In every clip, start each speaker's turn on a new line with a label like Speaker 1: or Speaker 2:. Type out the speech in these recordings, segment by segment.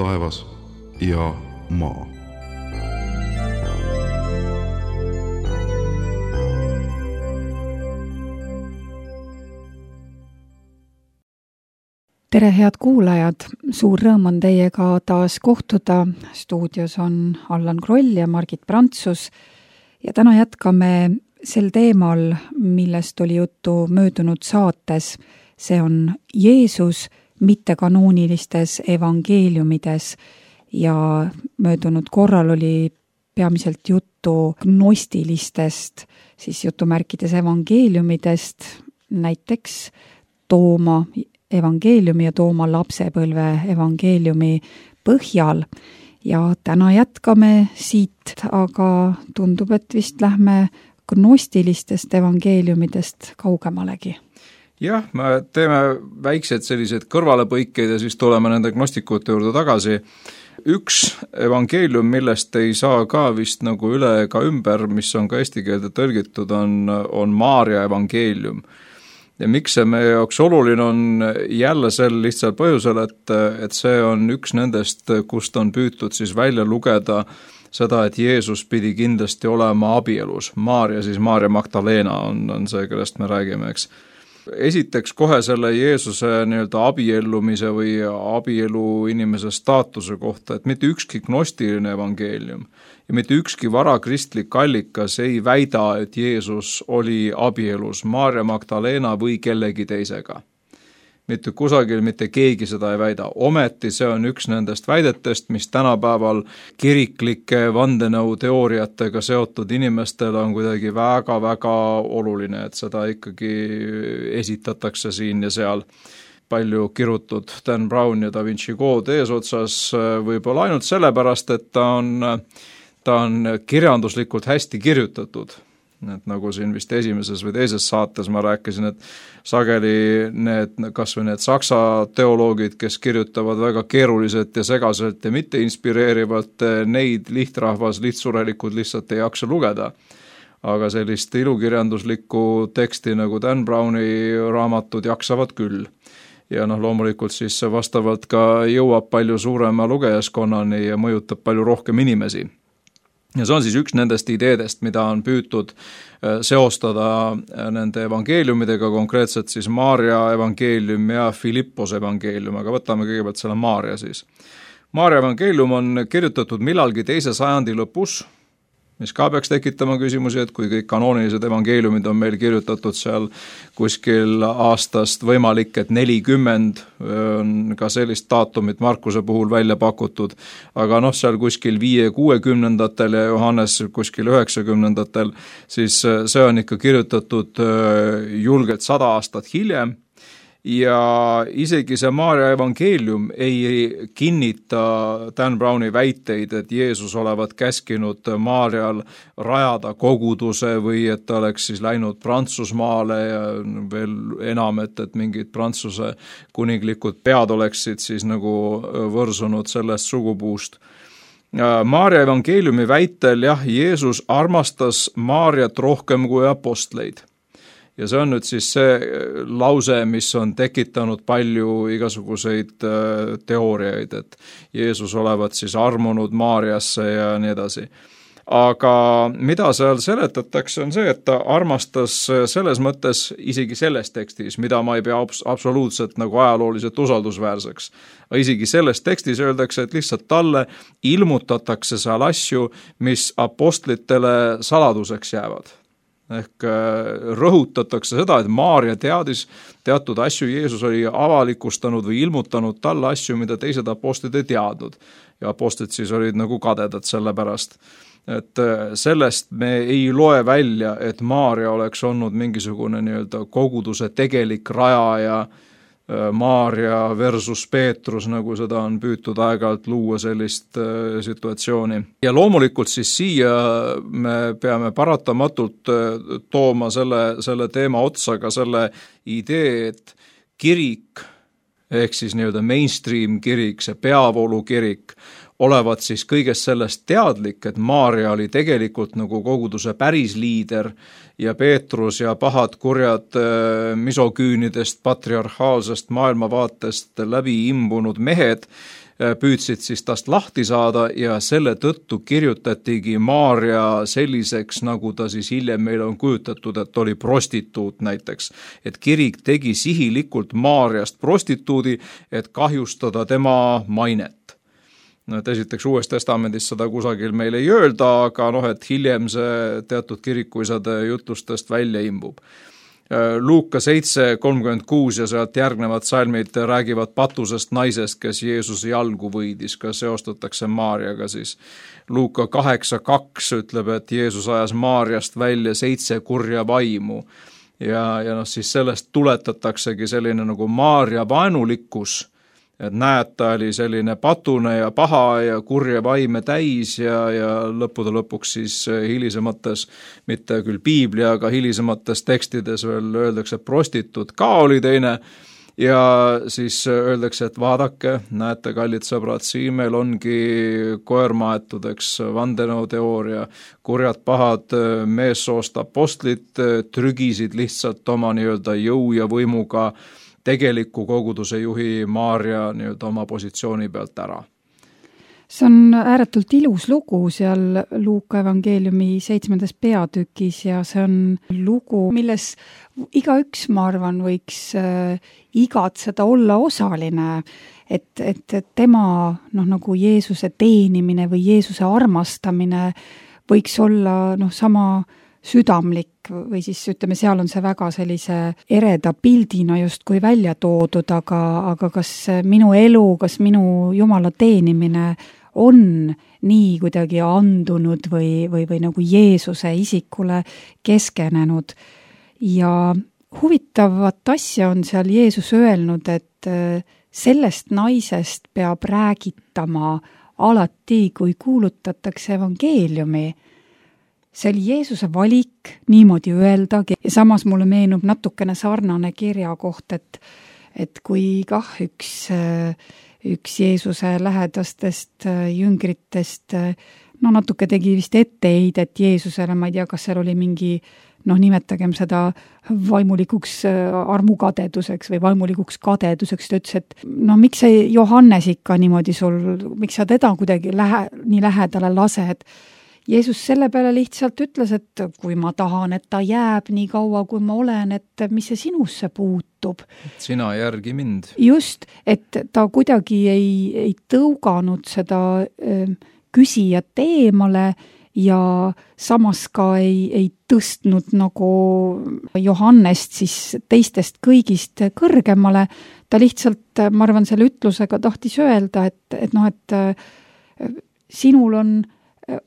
Speaker 1: taevas ja maa.
Speaker 2: Tere, head kuulajad! Suur rõõm on teiega taas kohtuda. Stuudios on Allan Kroll ja Margit Prantsus. Ja täna jätkame sel teemal, millest oli juttu möödunud saates. See on Jeesus mittekanoonilistes evangeeliumides ja möödunud korral oli peamiselt juttu gnostilistest, siis jutumärkides evangeeliumidest, näiteks Tooma evangeeliumi ja Tooma lapsepõlve evangeeliumi põhjal. Ja täna jätkame siit, aga tundub, et vist lähme gnostilistest evangeeliumidest kaugemalegi.
Speaker 3: Jah, me teeme väiksed sellised kõrvalepõikeid ja siis tuleme nende gnostikute juurde tagasi. Üks evangeelium, millest ei saa ka vist nagu üle ega ümber, mis on ka eesti keelde tõlgitud, on Maarja evangeelium. Ja miks see meie jaoks oluline on jälle sel lihtsal põhjusel, et see on üks nendest, kust on püütud siis välja lugeda seda, et Jeesus pidi kindlasti olema abielus. Maarja, siis Maarja Magdalena on see, kellest me räägime, eks. Esiteks kohe selle Jeesuse nii-öelda abiellumise või abielu inimese staatuse kohta, et mitte ükski gnostiline evangeelium ja mitte ükski varakristlik allikas ei väida, et Jeesus oli abielus Maarja Magdalena või kellegi teisega. Mitte kusagil mitte keegi seda ei väida. Ometi see on üks nendest väidetest, mis tänapäeval kiriklike vandenõuteooriatega seotud inimestel on kuidagi väga-väga oluline, et seda ikkagi esitatakse siin ja seal. Palju kirutud Dan Brown ja Da Vinci Code eesotsas võib-olla ainult sellepärast, et ta on kirjanduslikult hästi kirjutatud. Et nagu siin vist esimeses või teises saates ma rääkisin, et sageli kas või need saksa teoloogid, kes kirjutavad väga keeruliselt ja segaselt ja mitte inspireerivalt, neid lihtrahvas, lihtsurelikud lihtsalt ei jaksa lugeda. Aga sellist ilukirjanduslikku teksti nagu Dan Browni raamatud jaksavad küll. Ja loomulikult siis vastavalt ka jõuab palju suurema lugejaskonnani ja mõjutab palju rohkem inimesi. Ja see on siis üks nendest ideedest, mida on püütud seostada nende evangeeliumidega, konkreetselt siis Maarja evangeelium ja Filippos evangeelium, aga võtame kõigepealt selle Maarja siis. Maarja evangeelium on kirjutatud millalgi 2. sajandi lõpus, mis ka peaks tekitama küsimusi, et kui kõik kanoonilised evangeeliumid on meil kirjutatud seal kuskil aastast võimalik, et 40 on ka sellist daatumit Markuse puhul välja pakutud, aga seal kuskil 5-60-ndatel ja Johannes kuskil 90-ndatel, siis see on ikka kirjutatud julgelt 100 aastat hiljem. Ja isegi see Maarja evangeelium ei kinnita Dan Browni väiteid, et Jeesus olevat käskinud Maarjal rajada koguduse või et ta oleks siis läinud Prantsusmaale ja veel enam, et mingid Prantsuse kuninglikud pead oleksid siis nagu võrsunud sellest sugupuust. Maarja evangeeliumi väitel Jeesus armastas Maarjat rohkem kui apostleid. Ja see on nüüd siis see lause, mis on tekitanud palju igasuguseid teooriaid, et Jeesus olevat siis armunud Maarjasse ja nii edasi. Aga mida seal seletatakse on see, et ta armastas selles mõttes isegi selles tekstis, mida ma ei pea absoluutselt nagu ajalooliselt usaldusväärseks. Isegi selles tekstis öeldakse, et lihtsalt talle ilmutatakse seal asju, mis apostlitele saladuseks jäävad. Ehk rõhutatakse seda, et Maarja teadis teatud asju, Jeesus oli avalikustanud või ilmutanud talle asju, mida teised apostlid ei teadnud. Ja apostlid siis olid nagu kadedad selle pärast. Et sellest me ei loe välja, et Maarja oleks olnud mingisugune nii-öelda koguduse tegelik rajaja, Maarja versus Peetrus, nagu seda on püütud aeg-ajalt luua sellist situatsiooni. Ja loomulikult siis siia me peame paratamatult tooma selle teema otsa ka selle idee, et kirik, ehk siis nii-öelda mainstream kirik, see peavoolu kirik, olevat siis kõigest sellest teadlik, et Maarja oli tegelikult nagu koguduse päris liider ja Peetrus ja pahad kurjad misoküünidest, patriarhaalsest maailmavaatest läbi imbunud mehed püüdsid siis tast lahti saada ja selle tõttu kirjutatigi Maarja selliseks, nagu ta siis hiljem meil on kujutatud, et oli prostituut näiteks. Et kirik tegi sihilikult Maarjast prostituudi, et kahjustada tema mainet. Et esiteks Uues Testamendis seda kusagil meil ei öelda, aga et hiljem see teatud kirikuisade jutlustest välja imbub. Luuka 7:36 ja sealt järgnevad salmid räägivad patusest naisest, kes Jeesuse jalgu võidis, ka seostatakse Maarjaga siis. Luuka 8:2 ütleb, et Jeesus ajas Maarjast välja 7 kurja vaimu ja siis sellest tuletataksegi selline nagu Maarja vaenulikkus, et näed, ta oli selline patune ja paha ja kurja vaime täis ja lõppude lõpuks siis hilisemates, mitte küll piibli, aga hilisemates tekstides veel öeldakse, et prostituut ka oli teine ja siis öeldakse, et vaadake, näete, kallid sõbrad, siin meil ongi koermaetud, eks, vandenõuteooria, kurjad pahad meessoost apostlid trügisid lihtsalt oma nii-öelda jõu ja võimuga tegeliku koguduse juhi Maarja nii-öelda oma positsiooni pealt ära.
Speaker 2: See on ääretult ilus lugu seal Luuka evangeeliumi 7. peatükis ja see on lugu, milles igaüks, ma arvan, võiks igatseda olla osaline, et tema nagu Jeesuse teenimine või Jeesuse armastamine võiks olla sama südamlik või siis ütleme, seal on see väga sellise ereda pildina justkui välja toodud, aga kas minu elu, kas minu Jumala teenimine on nii kuidagi andunud või nagu Jeesuse isikule keskenenud. Ja huvitavat asja on seal Jeesus öelnud, et sellest naisest peab räägitama alati, kui kuulutatakse evangeeliumi. See oli Jeesuse valik niimoodi öeldagi ja samas mulle meenub natukene sarnane kirja koht, et kui üks Jeesuse lähedastest jüngritest natuke tegi vist etteheidet Jeesusele, ma ei tea, kas seal oli mingi nimetagem seda vaimulikuks armukadeduseks või vaimulikuks kadeduseks, ta ütles, et miks see Johannes ikka niimoodi miks sa teda kuidagi nii lähedale lased? Jeesus selle peale lihtsalt ütles, et kui ma tahan, et ta jääb nii kaua, kui ma olen, et mis see sinusse puutub.
Speaker 3: Sina järgi mind.
Speaker 2: Just, et ta kuidagi ei tõuganud seda küsijat eemale ja samas ka ei tõstnud nagu Johannest siis teistest kõigist kõrgemale. Ta lihtsalt, ma arvan, selle ütlusega tahtis öelda, et sinul on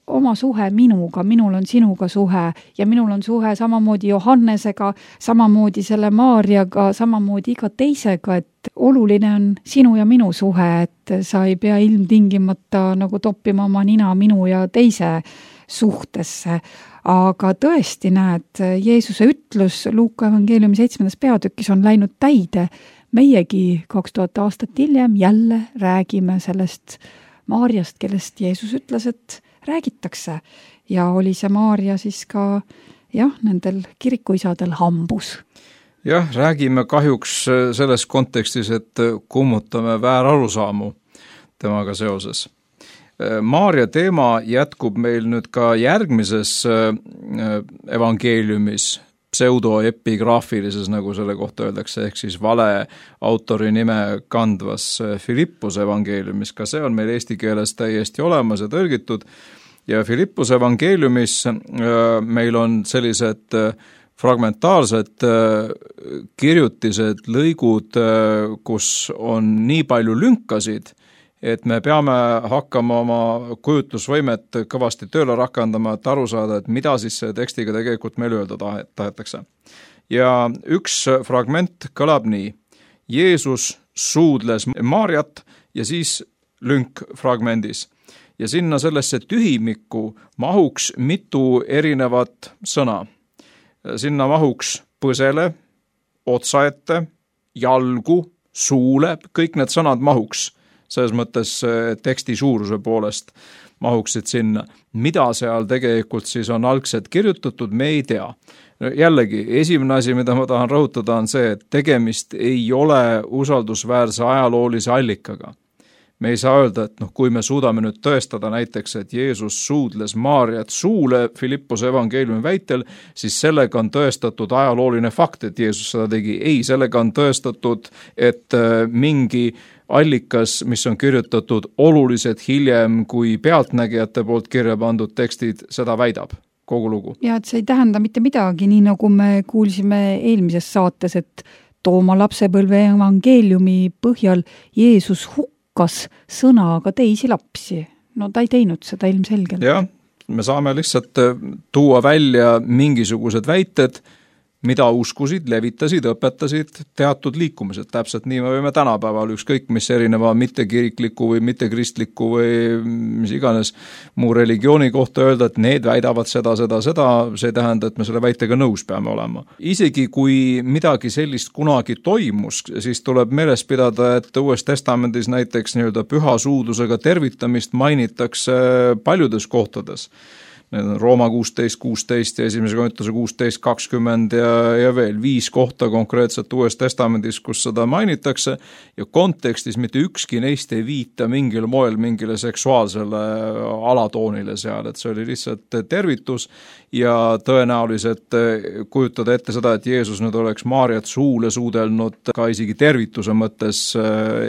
Speaker 2: oma suhe minuga, minul on sinuga suhe ja minul on suhe samamoodi Johannesega, samamoodi selle Maarjaga, samamoodi iga teisega, et oluline on sinu ja minu suhe, et sa ei pea ilmtingimata nagu toppima oma nina minu ja teise suhtesse. Aga tõesti näed, Jeesuse ütlus Luuka evangeeliumi 7. peatükis on läinud täide. Meiegi 2000 aastat hiljem jälle räägime sellest Maarjast, kellest Jeesus ütles, et räägitakse ja oli see Maarja siis ka nendel kirikuisadel hambus.
Speaker 3: Jah, räägime kahjuks selles kontekstis, et kummutame väärarusaamu temaga seoses. Maarja teema jätkub meil nüüd ka järgmises evangeeliumis, pseudoepigraafilises, nagu selle kohta öeldakse, ehk siis vale autori nime kandvas Filippuse evangeeliumis, ka see on meil eesti keeles täiesti olemas ja tõlgitud ja Filippuse evangeeliumis meil on sellised fragmentaarsed kirjutised, lõigud, kus on nii palju lünkasid, et me peame hakkama oma kujutlusvõimet kõvasti tööle rakendama, et aru saada, et mida siis tekstiga tegelikult meil öelda tahetakse. Ja üks fragment kõlab nii. Jeesus suudles Maarjat ja siis lünk fragmendis. Ja sinna sellesse tühimikku mahuks mitu erinevat sõna. Sinna mahuks põsele, otsaette, jalgu, suule, kõik need sõnad mahuks. Selles mõttes teksti suuruse poolest mahuksid sinna. Mida seal tegelikult siis on algselt kirjutatud, me ei tea. Jällegi, esimene asi, mida ma tahan rõhutada, on see, et tegemist ei ole usaldusväärse ajaloolise allikaga. Me ei saa öelda, et kui me suudame nüüd tõestada näiteks, et Jeesus suudles Maarjat suule Filippose evangeeliumi väitel, siis sellega on tõestatud ajalooline fakt, et Jeesus seda tegi. Ei, sellega on tõestatud, et mingi allikas, mis on kirjutatud oluliselt hiljem kui pealtnägijate poolt kirja pandud tekstid, seda väidab. Kogu lugu.
Speaker 2: Ja et see ei tähenda mitte midagi, nii nagu me kuulsime eelmises saates, et Tooma lapsepõlve evangeeliumi põhjal Jeesus hukkas sõnaga teisi lapsi. No ta ei teinud seda ilmselgelt.
Speaker 3: Jah, me saame lihtsalt tuua välja mingisugused väited, mida uskusid, levitasid, õpetasid teatud liikumised. Täpselt nii me võime tänapäeval ükskõik mis erineva mittekirikliku või mittekristliku või mis iganes muu religiooni kohta öelda, et need väidavad seda, see ei tähenda, et me selle väitega nõus peame olema. Isegi kui midagi sellist kunagi toimus, siis tuleb meeles pidada, et Uues Testamendis näiteks püha suudlusega tervitamist mainitakse paljudes kohtades. Need on Rooma 16 ja 1. Korintuse 16:20 ja veel 5 kohta konkreetselt Uues Testamendis, kus seda mainitakse ja kontekstis mitte ükski neist ei viita mingil moel mingile seksuaalsele alatoonile seal, et see oli lihtsalt tervitus ja tõenäoliselt kujutada ette seda, et Jeesus nüüd oleks Maarjat suule suudelnud ka isegi tervituse mõttes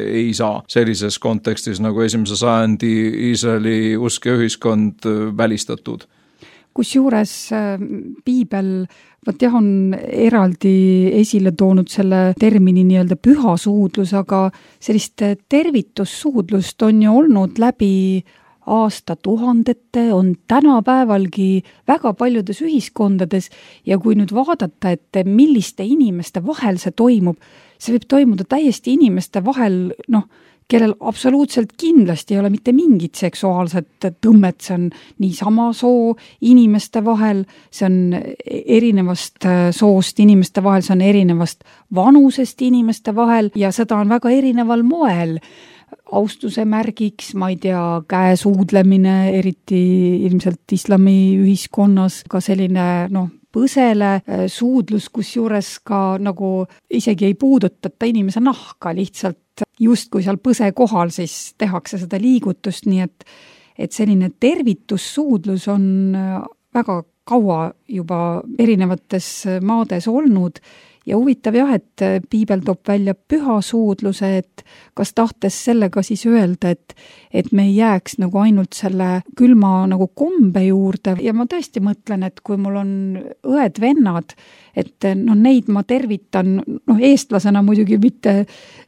Speaker 3: ei saa sellises kontekstis nagu 1. sajandi Iisraeli usk ja ühiskond välistatud.
Speaker 2: Kusjuures piibel on eraldi esile toonud selle termini nii-öelda pühasuudlus, aga sellist tervitussuudlust on ju olnud läbi aastatuhandete, on tänapäevalgi väga paljudes ühiskondades ja kui nüüd vaadata, et milliste inimeste vahel see toimub, see võib toimuda täiesti inimeste vahel, kellel absoluutselt kindlasti ei ole mitte mingit seksuaalset tõmmet, see on niisama soo inimeste vahel, see on erinevast soost inimeste vahel, see on erinevast vanusest inimeste vahel ja seda on väga erineval moel. Austuse märgiks, ma ei tea, käesuudlemine, eriti ilmselt islami ühiskonnas, ka selline põsele suudlus, kusjuures ka nagu isegi ei puudutata inimese nahka, lihtsalt just kui seal põse kohal, siis tehakse seda liigutust, nii et selline tervitussuudlus on väga kaua juba erinevates maades olnud ja huvitav jah, et piibel toob välja pühasuudluse, et kas tahtes sellega siis öelda, et me ei jääks nagu ainult selle külma nagu kombe juurde ja ma tõesti mõtlen, et kui mul on õed-vennad, et neid ma tervitan, eestlasena muidugi mitte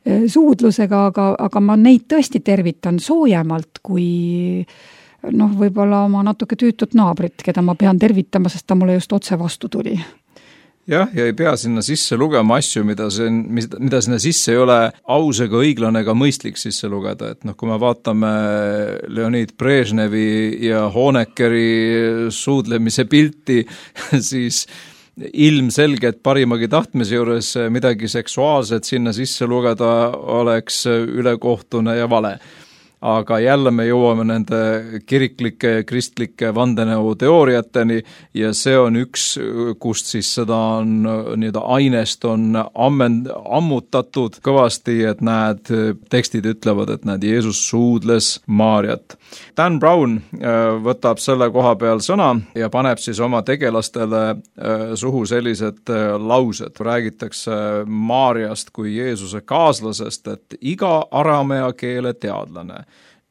Speaker 2: suudlusega, aga ma neid tõesti tervitan soojemalt kui võib-olla oma natuke tüütut naabrit, keda ma pean tervitama, sest ta mulle just otse vastu tuli.
Speaker 3: Jah, ja ei pea sinna sisse lugema asju, mida sinna sisse ei ole aus ega õiglane ega mõistlik sisse lugeda, et kui me vaatame Leonid Brežnevi ja Honeckeri suudlemise pilti, siis ilmselgelt parimagi tahtmise juures midagi seksuaalset sinna sisse lugeda oleks ülekohtune ja vale. Aga jälle me jõuame nende kiriklike, kristlike vandenõuteooriateni ja see on üks, kust siis seda on nii-öelda ainest on ammutatud kõvasti, et tekstid ütlevad, et Jeesus suudles Maarjat. Dan Brown võtab selle koha peal sõna ja paneb siis oma tegelastele suhu sellised laused. Räägitakse Maarjast kui Jeesuse kaaslasest, et iga aramea keele teadlane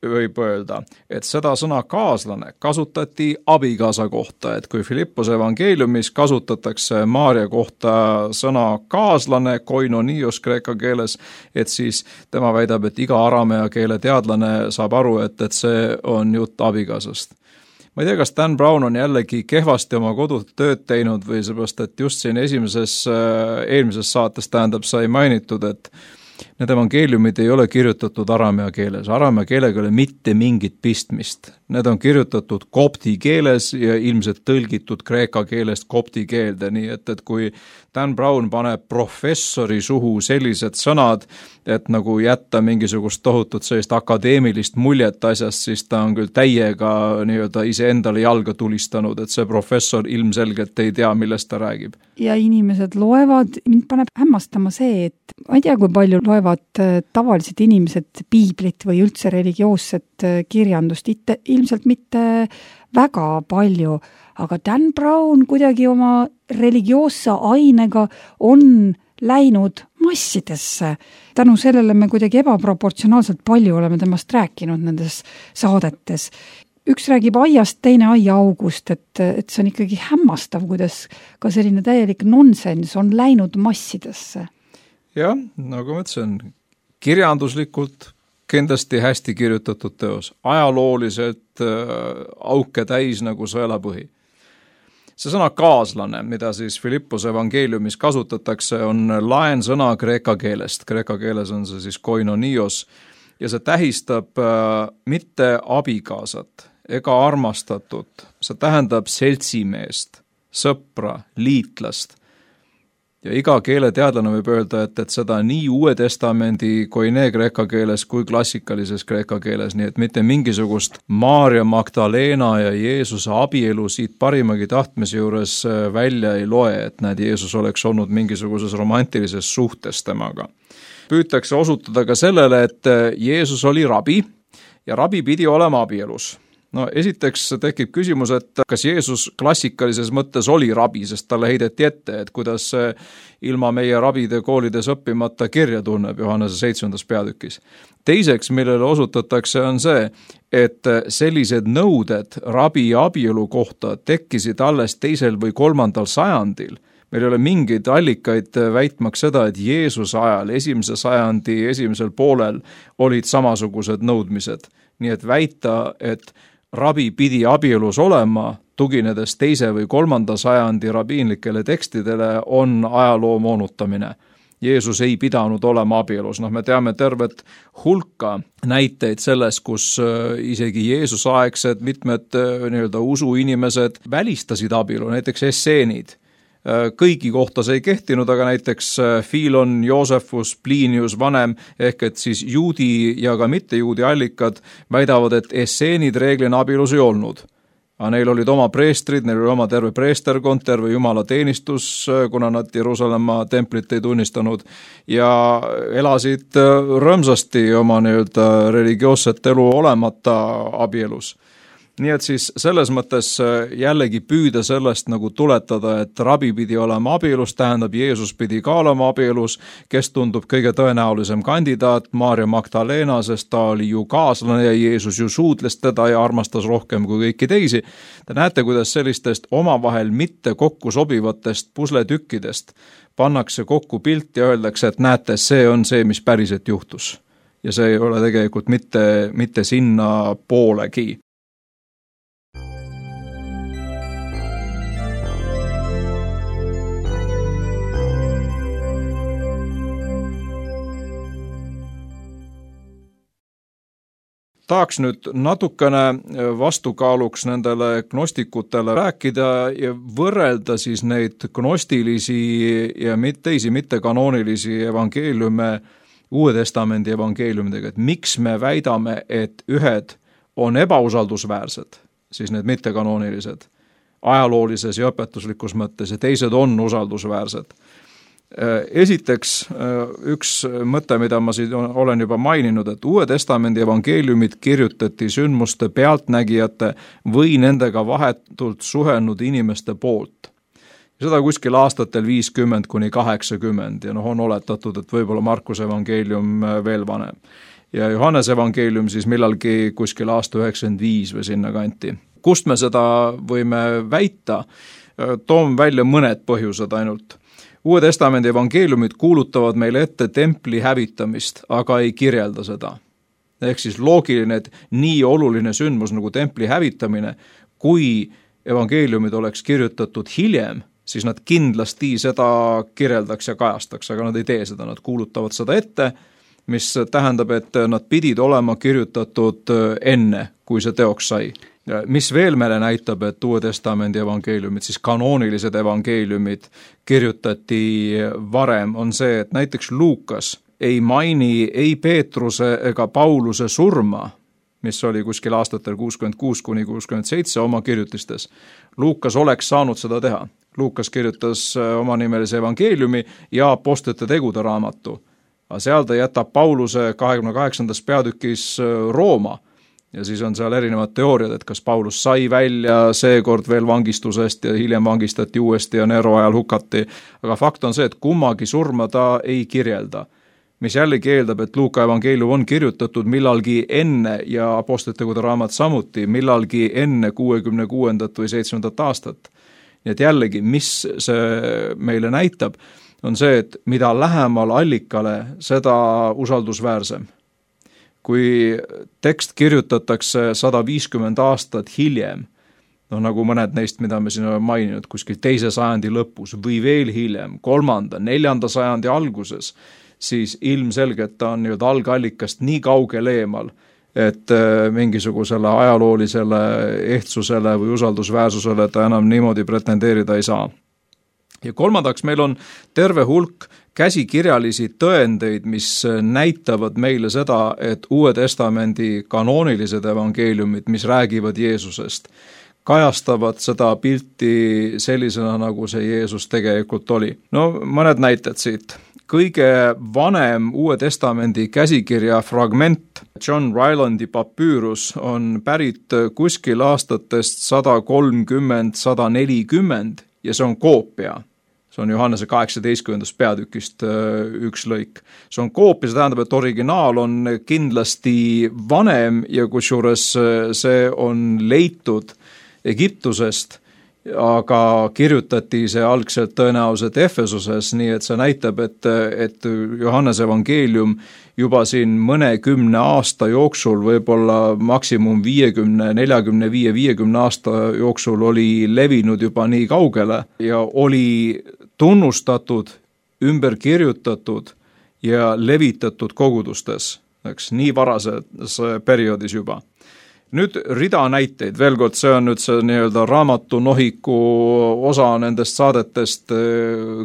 Speaker 3: võib öelda, et seda sõna kaaslane kasutati abikaasa kohta, et kui Filippose evangeeliumis kasutatakse Maarja kohta sõna kaaslane, koinonios kreeka keeles, et siis tema väidab, et iga aramea keele teadlane saab aru, et see on jutt abikaasast. Ma ei tea, kas Dan Brown on jällegi kehvasti oma kodutööd teinud või seepärast, et just siin eelmises saates sai mainitud, et need evangeeliumid ei ole kirjutatud aramea keeles. Aramea keelega ei ole mitte mingit pistmist. need on kirjutatud kopti keeles ja ilmselt tõlgitud kreeka keelest kopti keelde, nii et kui Dan Brown paneb professori suhu sellised sõnad, et nagu jätta mingisugust tohutut sellist akadeemilist muljet asjast, siis ta on küll täiega nii-öelda iseendale jalga tulistanud, et see professor ilmselgelt ei tea, millest ta räägib.
Speaker 2: Ja inimesed loevad, mind paneb hämmastama see, et ma ei tea, kui palju loevad tavalised inimesed piiblit või üldse religioosset kirjandust, ilmselt mitte väga palju, aga Dan Brown kuidagi oma religioosse ainega on läinud massidesse. Tänu sellele me kuidagi ebaproportsionaalselt palju oleme temast rääkinud nendes saadetes. Üks räägib aiast, teine aiaaugust, et see on ikkagi hämmastav, kuidas ka selline täielik nonsens on läinud massidesse.
Speaker 3: Jah, nagu ma ütlesin, kirjanduslikult kindlasti hästi kirjutatud teos, ajalooliselt auke täis nagu sõelapõhi. See sõna kaaslane, mida siis Filippose evangeeliumis kasutatakse, on laensõna kreeka keelest. Kreeka keeles on see siis koinonios ja see tähistab mitte abikaasat ega armastatut, see tähendab seltsimeest, sõpra, liitlast. Ja iga keeleteadlane võib öelda, et seda nii Uue Testamendi koine kreeka keeles kui klassikalises kreeka keeles, nii et mitte mingisugust Maarja Magdalena ja Jeesuse abielu siit parimagi tahtmise juures välja ei loe, et Jeesus oleks olnud mingisuguses romantilises suhtes temaga. Püütakse osutada ka sellele, et Jeesus oli rabi ja rabi pidi olema abielus. No esiteks tekib küsimus, et kas Jeesus klassikalises mõttes oli rabi, sest talle heideti ette, et kuidas ilma meie rabide koolides õppimata kirja tunneb Johannese 7. peatükis. Teiseks, millele osutatakse, on see, et sellised nõuded rabi ja abielu kohta tekkisid alles 2. või 3. sajandil. Meil ei ole mingeid allikaid väitmaks seda, et Jeesuse ajal, 1. sajandi esimesel poolel olid samasugused nõudmised. Nii et väita, et rabi pidi abielus olema, tuginedes 2. või 3. sajandi rabiinlikele tekstidele, on ajaloo moonutamine. Jeesus ei pidanud olema abielus. Me teame tervet hulka näiteid selles, kus isegi Jeesuse aegsed mitmed usuinimesed välistasid abielu, näiteks esseenid. Kõigi kohta see ei kehtinud, aga näiteks Filon, Joosefus, Plinius vanem ehk et siis juudi ja ka mitte juudi allikad väidavad, et esseenid reeglina abielus ei olnud. Aga neil olid oma preestrid, neil oli oma terve preesterkond, terve jumala teenistus, kuna nad Jeruusalemma templit ei tunnistanud ja elasid rõõmsasti oma religioosset elu olemata abielus. Nii et siis selles mõttes jällegi püüda sellest nagu tuletada, et rabi pidi olema abielus, tähendab Jeesus pidi ka olema abielus, kes tundub kõige tõenäolisem kandidaat, Maarja Magdalena, sest ta oli ju kaaslane ja Jeesus ju suudles teda ja armastas rohkem kui kõiki teisi. Te näete, kuidas sellistest omavahel mitte kokku sobivatest pusletükkidest pannakse kokku pilt ja öeldakse, et näete, see on see, mis päriselt juhtus. Ja see ei ole tegelikult mitte sinna poolegi. Tahaks nüüd natukene vastukaaluks nendele gnostikutele rääkida ja võrrelda siis neid gnostilisi ja teisi mittekanoonilisi evangeeliume Uue Testamendi evangeeliumidega, et miks me väidame, et ühed on ebausaldusväärsed, siis need mittekanoonilised, ajaloolises ja õpetuslikus mõttes ja teised on usaldusväärsed. Esiteks üks mõte, mida ma siin olen juba maininud, et Uue Testamendi evangeeliumid kirjutati sündmuste pealtnägijate või nendega vahetult suhelnud inimeste poolt. Seda kuskil aastatel 50–80 ja on oletatud, et võib-olla Markuse evangeelium veel vanem. Ja Johannese evangeelium siis millalgi kuskil aasta 95 või sinna kanti. Kust me seda võime väita? Toon välja mõned põhjused ainult. Uue Testamendi evangeeliumid kuulutavad meile ette templi hävitamist, aga ei kirjelda seda. Ehk siis loogiline, et nii oluline sündmus nagu templi hävitamine, kui evangeeliumid oleks kirjutatud hiljem, siis nad kindlasti seda kirjeldaks ja kajastaks, aga nad ei tee seda, nad kuulutavad seda ette mis tähendab, et nad pidid olema kirjutatud enne, kui see teoks sai. Mis veel meile näitab, et Uue Testamendi evangeeliumid, siis kanoonilised evangeeliumid kirjutati varem, on see, et näiteks Luukas ei maini ei Peetruse ega Pauluse surma, mis oli kuskil aastatel 66–67 oma kirjutistes. Luukas oleks saanud seda teha. Luukas kirjutas omanimelise evangeeliumi ja apostlite tegude raamatu. Aga seal ta jätab Pauluse 28. peatükis Rooma ja siis on seal erinevad teooriad, et kas Paulus sai välja seekord veel vangistusest ja hiljem vangistati uuesti ja Nero ajal hukati. Aga fakt on see, et kummagi surma ta ei kirjelda, mis jällegi eeldab, et Luuka evangeelium on kirjutatud millalgi enne ja apostlite tegude raamat samuti millalgi enne 66. või 7. aastat. Nii et jällegi, mis see meile näitab, on see, et mida lähemal allikale, seda usaldusväärsem. Kui tekst kirjutatakse 150 aastat hiljem, nagu mõned neist, mida me siin oleme maininud, kuskil 2. sajandi lõpus või veel hiljem, 3., 4. sajandi alguses, siis ilmselgelt ta on algallikast nii kaugel eemal, et mingisugusele ajaloolisele ehtsusele või usaldusväärsusele ta enam niimoodi pretendeerida ei saa. Ja kolmandaks, meil on terve hulk käsikirjalisi tõendeid, mis näitavad meile seda, et Uue Testamendi kanoonilised evangeeliumid, mis räägivad Jeesusest, kajastavad seda pilti sellisena, nagu see Jeesus tegelikult oli. No mõned näited siit. Kõige vanem Uue Testamendi käsikirja fragment, John Rylandi papyrus, on pärit kuskil aastatest 130–140 ja see on koopia. See on Johannese 18. peatükist üks lõik. See on koopia, see tähendab, et originaal on kindlasti vanem ja kusjuures see on leitud Egiptusest, aga kirjutati see algselt tõenäoliselt Efesuses, nii et see näitab, et Johannese evangeelium juba siin mõnekümne aasta jooksul, võib-olla maksimum 45–50 aasta jooksul oli levinud juba nii kaugele ja oli tunnustatud, ümber kirjutatud ja levitatud kogudustes, nii varases perioodis juba. Nüüd rida näiteid, veel kord, see on nüüd see nii-öelda raamatunohiku osa nendest saadetest,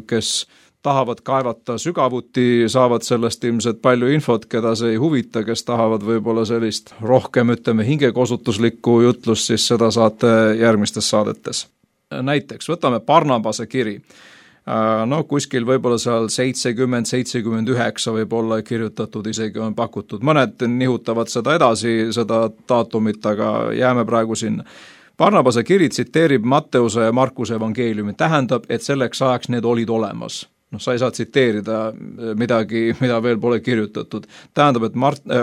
Speaker 3: kes tahavad kaevata sügavuti, saavad sellest ilmselt palju infot, keda see ei huvita, kes tahavad võib-olla sellist rohkem, hingekosutuslikku jutlust, siis seda saate järgmistes saadetes. Näiteks, võtame Barnabase kiri. Kuskil võib-olla seal 70–79 võib-olla kirjutatud, isegi on pakutud. Mõned nihutavad seda edasi, seda daatumit, aga jääme praegu sinna. Barnabase kiri tsiteerib Matteuse ja Markuse evangeeliumi, tähendab, et selleks ajaks need olid olemas. Sa ei saa tsiteerida midagi, mida veel pole kirjutatud. Tähendab, et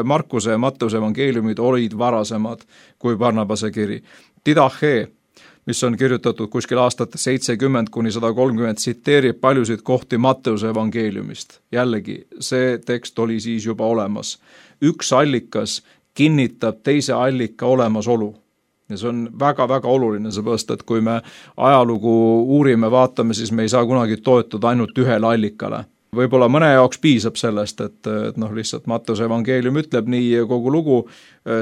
Speaker 3: Markuse ja Matteuse evangeeliumid olid varasemad kui Barnabase kiri. Didache, mis on kirjutatud kuskil aastate 70–130, tsiteerib paljusid kohti Matteuse evangeeliumist. Jällegi, see tekst oli siis juba olemas. Üks allikas kinnitab teise allika olemasolu. Ja see on väga-väga oluline, seepärast, et kui me ajalugu uurime, vaatame, siis me ei saa kunagi toetuda ainult ühele allikale. Võib-olla mõne jaoks piisab sellest, et lihtsalt Matteuse evangeelium ütleb nii ja kogu lugu,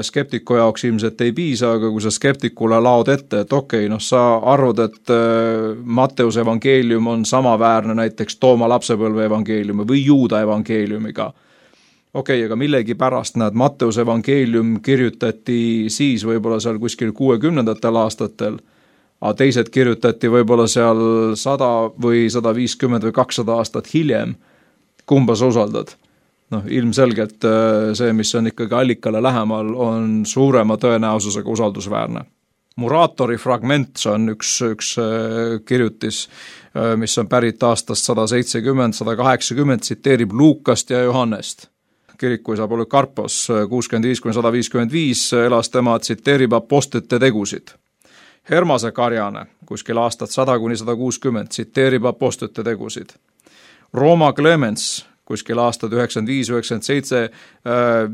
Speaker 3: skeptiku jaoks ilmselt ei piisa, aga kui sa skeptikule laod ette, et sa arvad, et Matteuse evangeelium on samaväärne näiteks Tooma lapsepõlve evangeeliumi või Juuda evangeeliumiga. Aga millegi pärast Matteuse evangeelium kirjutati siis võib-olla seal kuskil 60. aastatel, aga teised kirjutati võib-olla seal 100 või 150 või 200 aastat hiljem. Kumba sa usaldad? Ilmselgelt see, mis on ikkagi allikale lähemal, on suurema tõenäosusega usaldusväärne. Muratori fragment, see on üks kirjutis, mis on pärit aastast 170–180, tsiteerib Luukast ja Johannest. Kirikuisa Polükarpos 65–155 elas tema, tsiteerib apostlite tegusid. Hermase Karjane, kuskil aastat 100–160, tsiteerib apostlite tegusid. Rooma Clemens, kuskil aastad 95–97,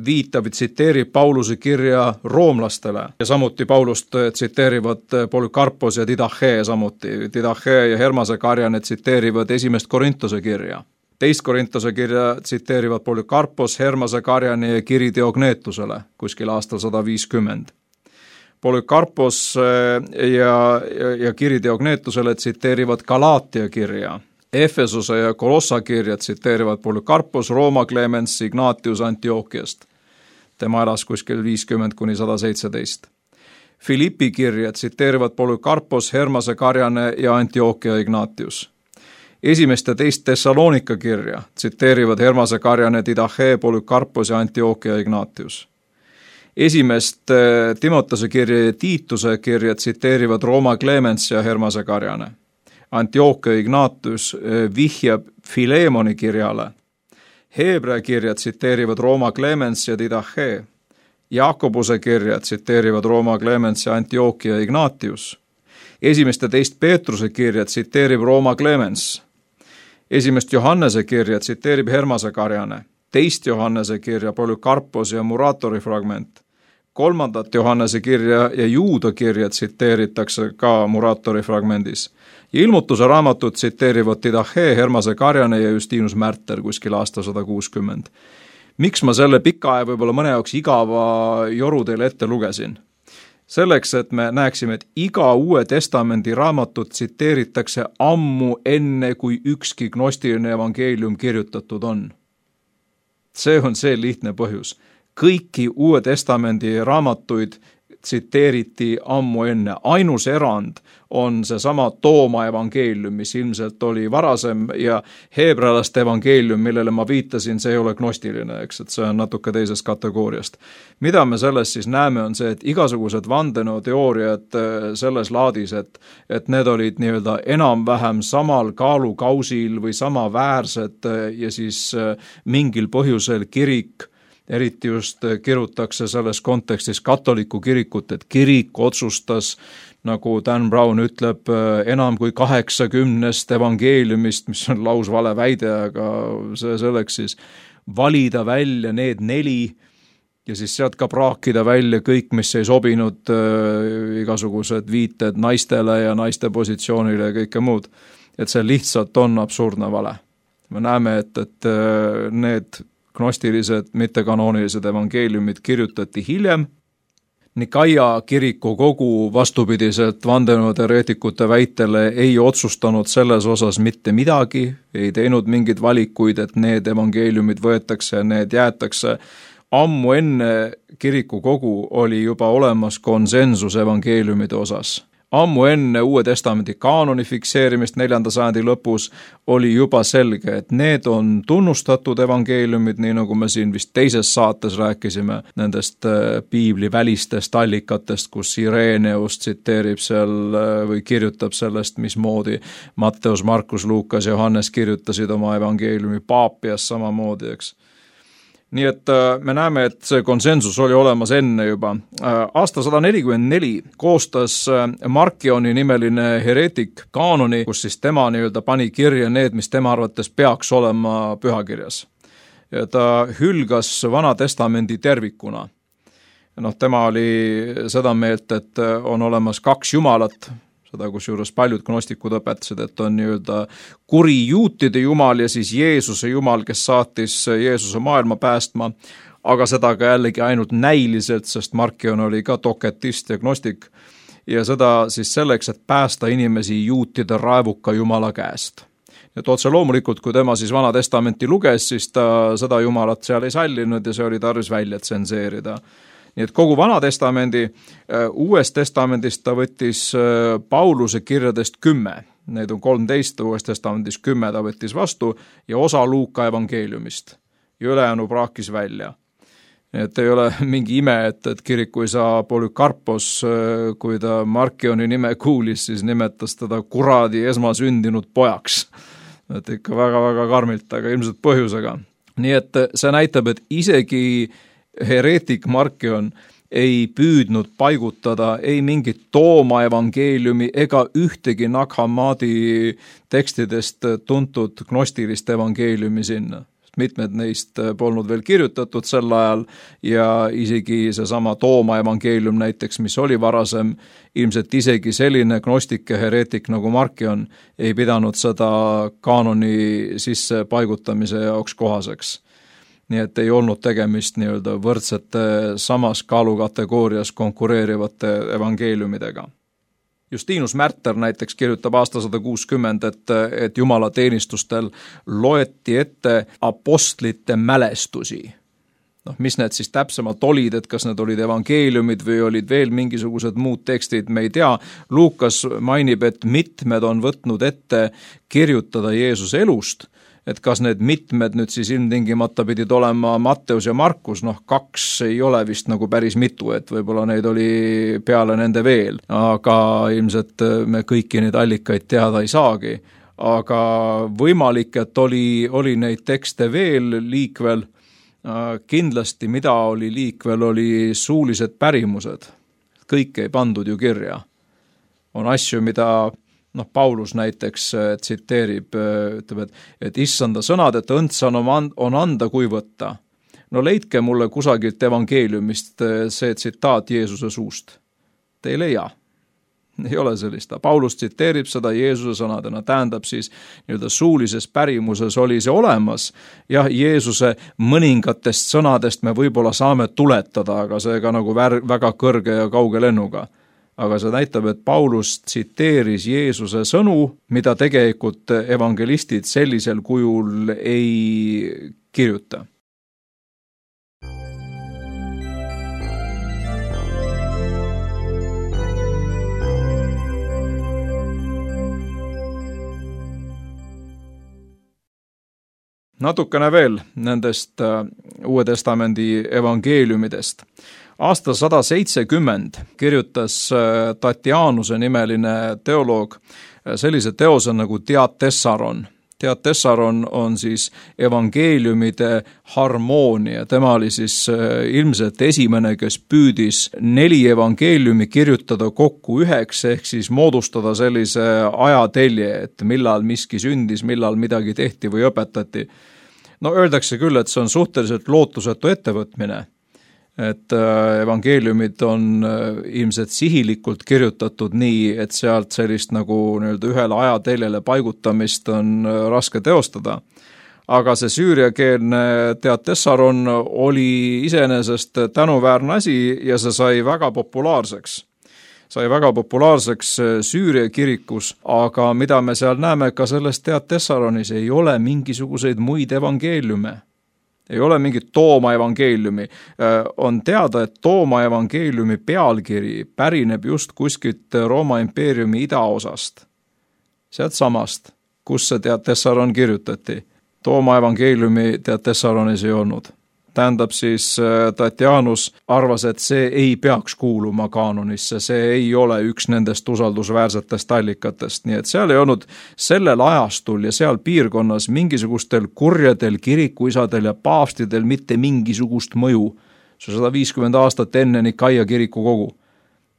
Speaker 3: viitab ja tsiteerib Pauluse kirja roomlastele ja samuti Paulust tsiteerivad Polükarpos ja Didache samuti. Didache ja Hermase Karjane tsiteerivad 1. Korintuse kirja. Teist Korintuse kirja tsiteerivad Polükarpos, Hermase Karjani ja kiri Diognetusele kuskil aastal 150. Polükarpos ja kiri Diognetusele tsiteerivad Galaatia kirja. Efesuse ja Kolossa kirja tsiteerivad Polükarpos, Rooma Clemens, Ignatius Antiochiast. Tema elas kuskil 50–117. Filippi kirja tsiteerivad Polükarpos, Hermase Karjane ja Antiochia Ignatius. Esimest ja teist Thessalonika kirja tsiteerivad Hermase Karjane, Didache, Polükarpos ja Antiochia Ignatius. Esimest Timotese kirja ja Tiituse kirja tsiteerivad Rooma Clemens ja Hermase Karjane. Antiochia Ignatius vihjab Filemoni kirjale. Heebrea kirja tsiteerivad Rooma Clemens ja Didache. Jaakobuse kirja tsiteerivad Rooma Clemens ja Antiochia Ignatius. Esimest ja teist Peetruse kirja tsiteerib Rooma Clemens. Esimest Johannese kirja tsiteerib Hermase Karjane. Teist Johannese kirja Polükarpos ja Muratori fragment. Kolmandat Johannese kirja ja Juuda kirja tsiteeritakse ka Muratori fragmendis. Ja ilmutuse raamatut tsiteerivad Didache, Hermase Karjane ja Justinus Märter kuskil aasta 160. Miks ma selle pika ja võib-olla mõne jaoks igava joru teile ette lugesin? Selleks, et me näeksime, et iga Uue Testamendi raamatut tsiteeritakse ammu enne, kui ükski gnostiline evangeelium kirjutatud on. See on see lihtne põhjus. Kõiki Uue Testamendi raamatuid tsiteeriti ammu enne. Ainus erand on seesama Tooma evangeelium, mis ilmselt oli varasem, ja heebrealaste evangeelium, millele ma viitasin, see ei ole gnostiline, eks, et see on natuke teisest kategooriast. Mida me selles siis näeme, on see, et igasugused vandenõuteooriad selles laadis, et need olid nii-öelda enam-vähem samal kaalukausil või samaväärsed ja siis mingil põhjusel kirik, eriti just kirutakse selles kontekstis katoliku kirikut, et kirik otsustas, nagu Dan Brown ütleb, enam kui 80 evangeeliumist, mis on lausvale väide, aga see selleks siis valida välja need 4 ja siis sealt ka praakida välja kõik, mis ei sobinud, igasugused viited naistele ja naiste positsioonile ja kõike muud. Et see lihtsalt on absurdne vale. Me näeme, et need gnostilised, mittekanoonilised evangeeliumid kirjutati hiljem. Nikaia kiriku kogu vastupidiselt vandenõuteoreetikute väitele ei otsustanud selles osas mitte midagi, ei teinud mingeid valikuid, et need evangeeliumid võetakse ja need jäetakse. Ammu enne kiriku kogu oli juba olemas konsensus evangeeliumide osas. Ammu enne Uue Testamendi kaanoni fikseerimist 4. sajandi lõpus oli juba selge, et need on tunnustatud evangeeliumid, nii nagu me siin vist teises saates rääkisime nendest piibli välistest allikatest, kus Ireneus tsiteerib seal või kirjutab sellest, mismoodi Matteus, Markus, Luukas ja Johannes kirjutasid oma evangeeliumi Paapias samamoodi, eks. Nii et me näeme, et see konsensus oli olemas enne juba. Aasta 144 koostas Markioni nimeline hereetik kaanoni, kus siis tema nii-öelda pani kirja need, mis tema arvates peaks olema pühakirjas. Ja ta hülgas Vana Testamendi tervikuna. Tema oli seda meelt, et on olemas 2 jumalat, seda kusjuures paljud gnostikud õpetasid, et on nii-öelda kuri juutide jumal ja siis Jeesuse jumal, kes saatis Jeesuse maailma päästma, aga seda ka jällegi ainult näiliselt, sest Markion oli ka doketist ja gnostik ja seda siis selleks, et päästa inimesi juutide raevuka jumala käest. Et otse loomulikult, kui tema siis Vana Testamenti luges, siis ta seda jumalat seal ei sallinud ja see oli tarvis välja tsenseerida. Nii et kogu Vana Testamendi, Uues Testamendist ta võttis Pauluse kirjadest 10, neid on 13, Uues Testamendis 10 ta võttis vastu ja osa Luuka evangeeliumist ja ülejäänu praakis välja. Nii et ei ole mingi ime, et kiriku isa Polükarpos, kui ta Markioni nime kuulis, siis nimetas teda kuradi esmasündinud pojaks. Et ikka väga-väga karmilt, aga ilmselt põhjusega. Nii et see näitab, et isegi hereetik Markion ei püüdnud paigutada ei mingit Tooma evangeeliumi ega ühtegi Nag Hammadi tekstidest tuntud gnostilist evangeeliumi sinna. mitmed neist polnud veel kirjutatud sel ajal ja isegi seesama Tooma evangeelium näiteks, mis oli varasem, ilmselt isegi selline gnostik ja hereetik nagu Markion ei pidanud seda kaanoni sisse paigutamise jaoks kohaseks. Nii et ei olnud tegemist nii-öelda võrdsete samas kaalukategoorias konkureerivate evangeeliumidega. Justinus Märter näiteks kirjutab aasta 160, et Jumala teenistustel loeti ette apostlite mälestusi. Mis need siis täpsemalt olid, et kas need olid evangeeliumid või olid veel mingisugused muud tekstid, me ei tea. Luukas mainib, et mitmed on võtnud ette kirjutada Jeesuse elust, et kas need mitmed nüüd siis ilmtingimata pidid olema Matteus ja Markus, 2 ei ole vist nagu päris mitu, et võib-olla neid oli peale nende veel, aga ilmselt me kõiki neid allikaid teada ei saagi. Aga võimalik, et oli neid tekste veel liikvel, kindlasti mida oli liikvel, oli suulised pärimused. Kõik ei pandud ju kirja. On asju, mida Paulus näiteks tsiteerib, ütleb, et issanda sõnad, et õndsan on anda kui võtta. Leidke mulle kusagilt evangeeliumist see tsitaat Jeesuse suust. Te ei leia. Ei ole sellist. Paulus tsiteerib seda Jeesuse sõnadena, tähendab siis nii-öelda suulises pärimuses oli see olemas. Jah, Jeesuse mõningatest sõnadest me võib-olla saame tuletada, aga see ka nagu väga kõrge ja kauge lennuga. Aga see näitab, et Paulus tsiteeris Jeesuse sõnu, mida tegelikult evangelistid sellisel kujul ei kirjuta. Natukene veel nendest Uue Testamendi evangeeliumidest. Aasta 170 kirjutas Tatianuse nimeline teoloog sellise teose nagu Diatessaron. Diatessaron on siis evangeeliumide harmoonia. Tema oli siis ilmselt esimene, kes püüdis 4 evangeeliumi kirjutada kokku üheks, ehk siis moodustada sellise ajatelje, et millal miski sündis, millal midagi tehti või õpetati. Öeldakse küll, et see on suhteliselt lootusetu ettevõtmine. Et evangeeliumid on ilmselt sihilikult kirjutatud nii, et sealt sellist nagu ühele ajateljele paigutamist on raske teostada. Aga see süüriakeelne Diatessaron oli iseenesest tänuväärne asi ja see sai väga populaarseks. Sai väga populaarseks Süüria kirikus, aga mida me seal näeme ka selles Diatessaronis, ei ole mingisuguseid muid evangeeliume. Ei ole mingit Tooma evangeeliumi. On teada, et Tooma evangeeliumi pealkiri pärineb just kuskilt Rooma impeeriumi idaosast. Sealt samast, kus see Diatessaron kirjutati. Tooma evangeeliumi Diatessaronis ei olnud. Tähendab siis Tatianus arvas, et see ei peaks kuuluma kaanonisse, see ei ole üks nendest usaldusväärsetest allikatest, nii et seal ei olnud sellel ajastul ja seal piirkonnas mingisugustel kurjadel kirikuisadel ja paavstidel mitte mingisugust mõju. See 150 aastat enne Nikaia kiriku kogu.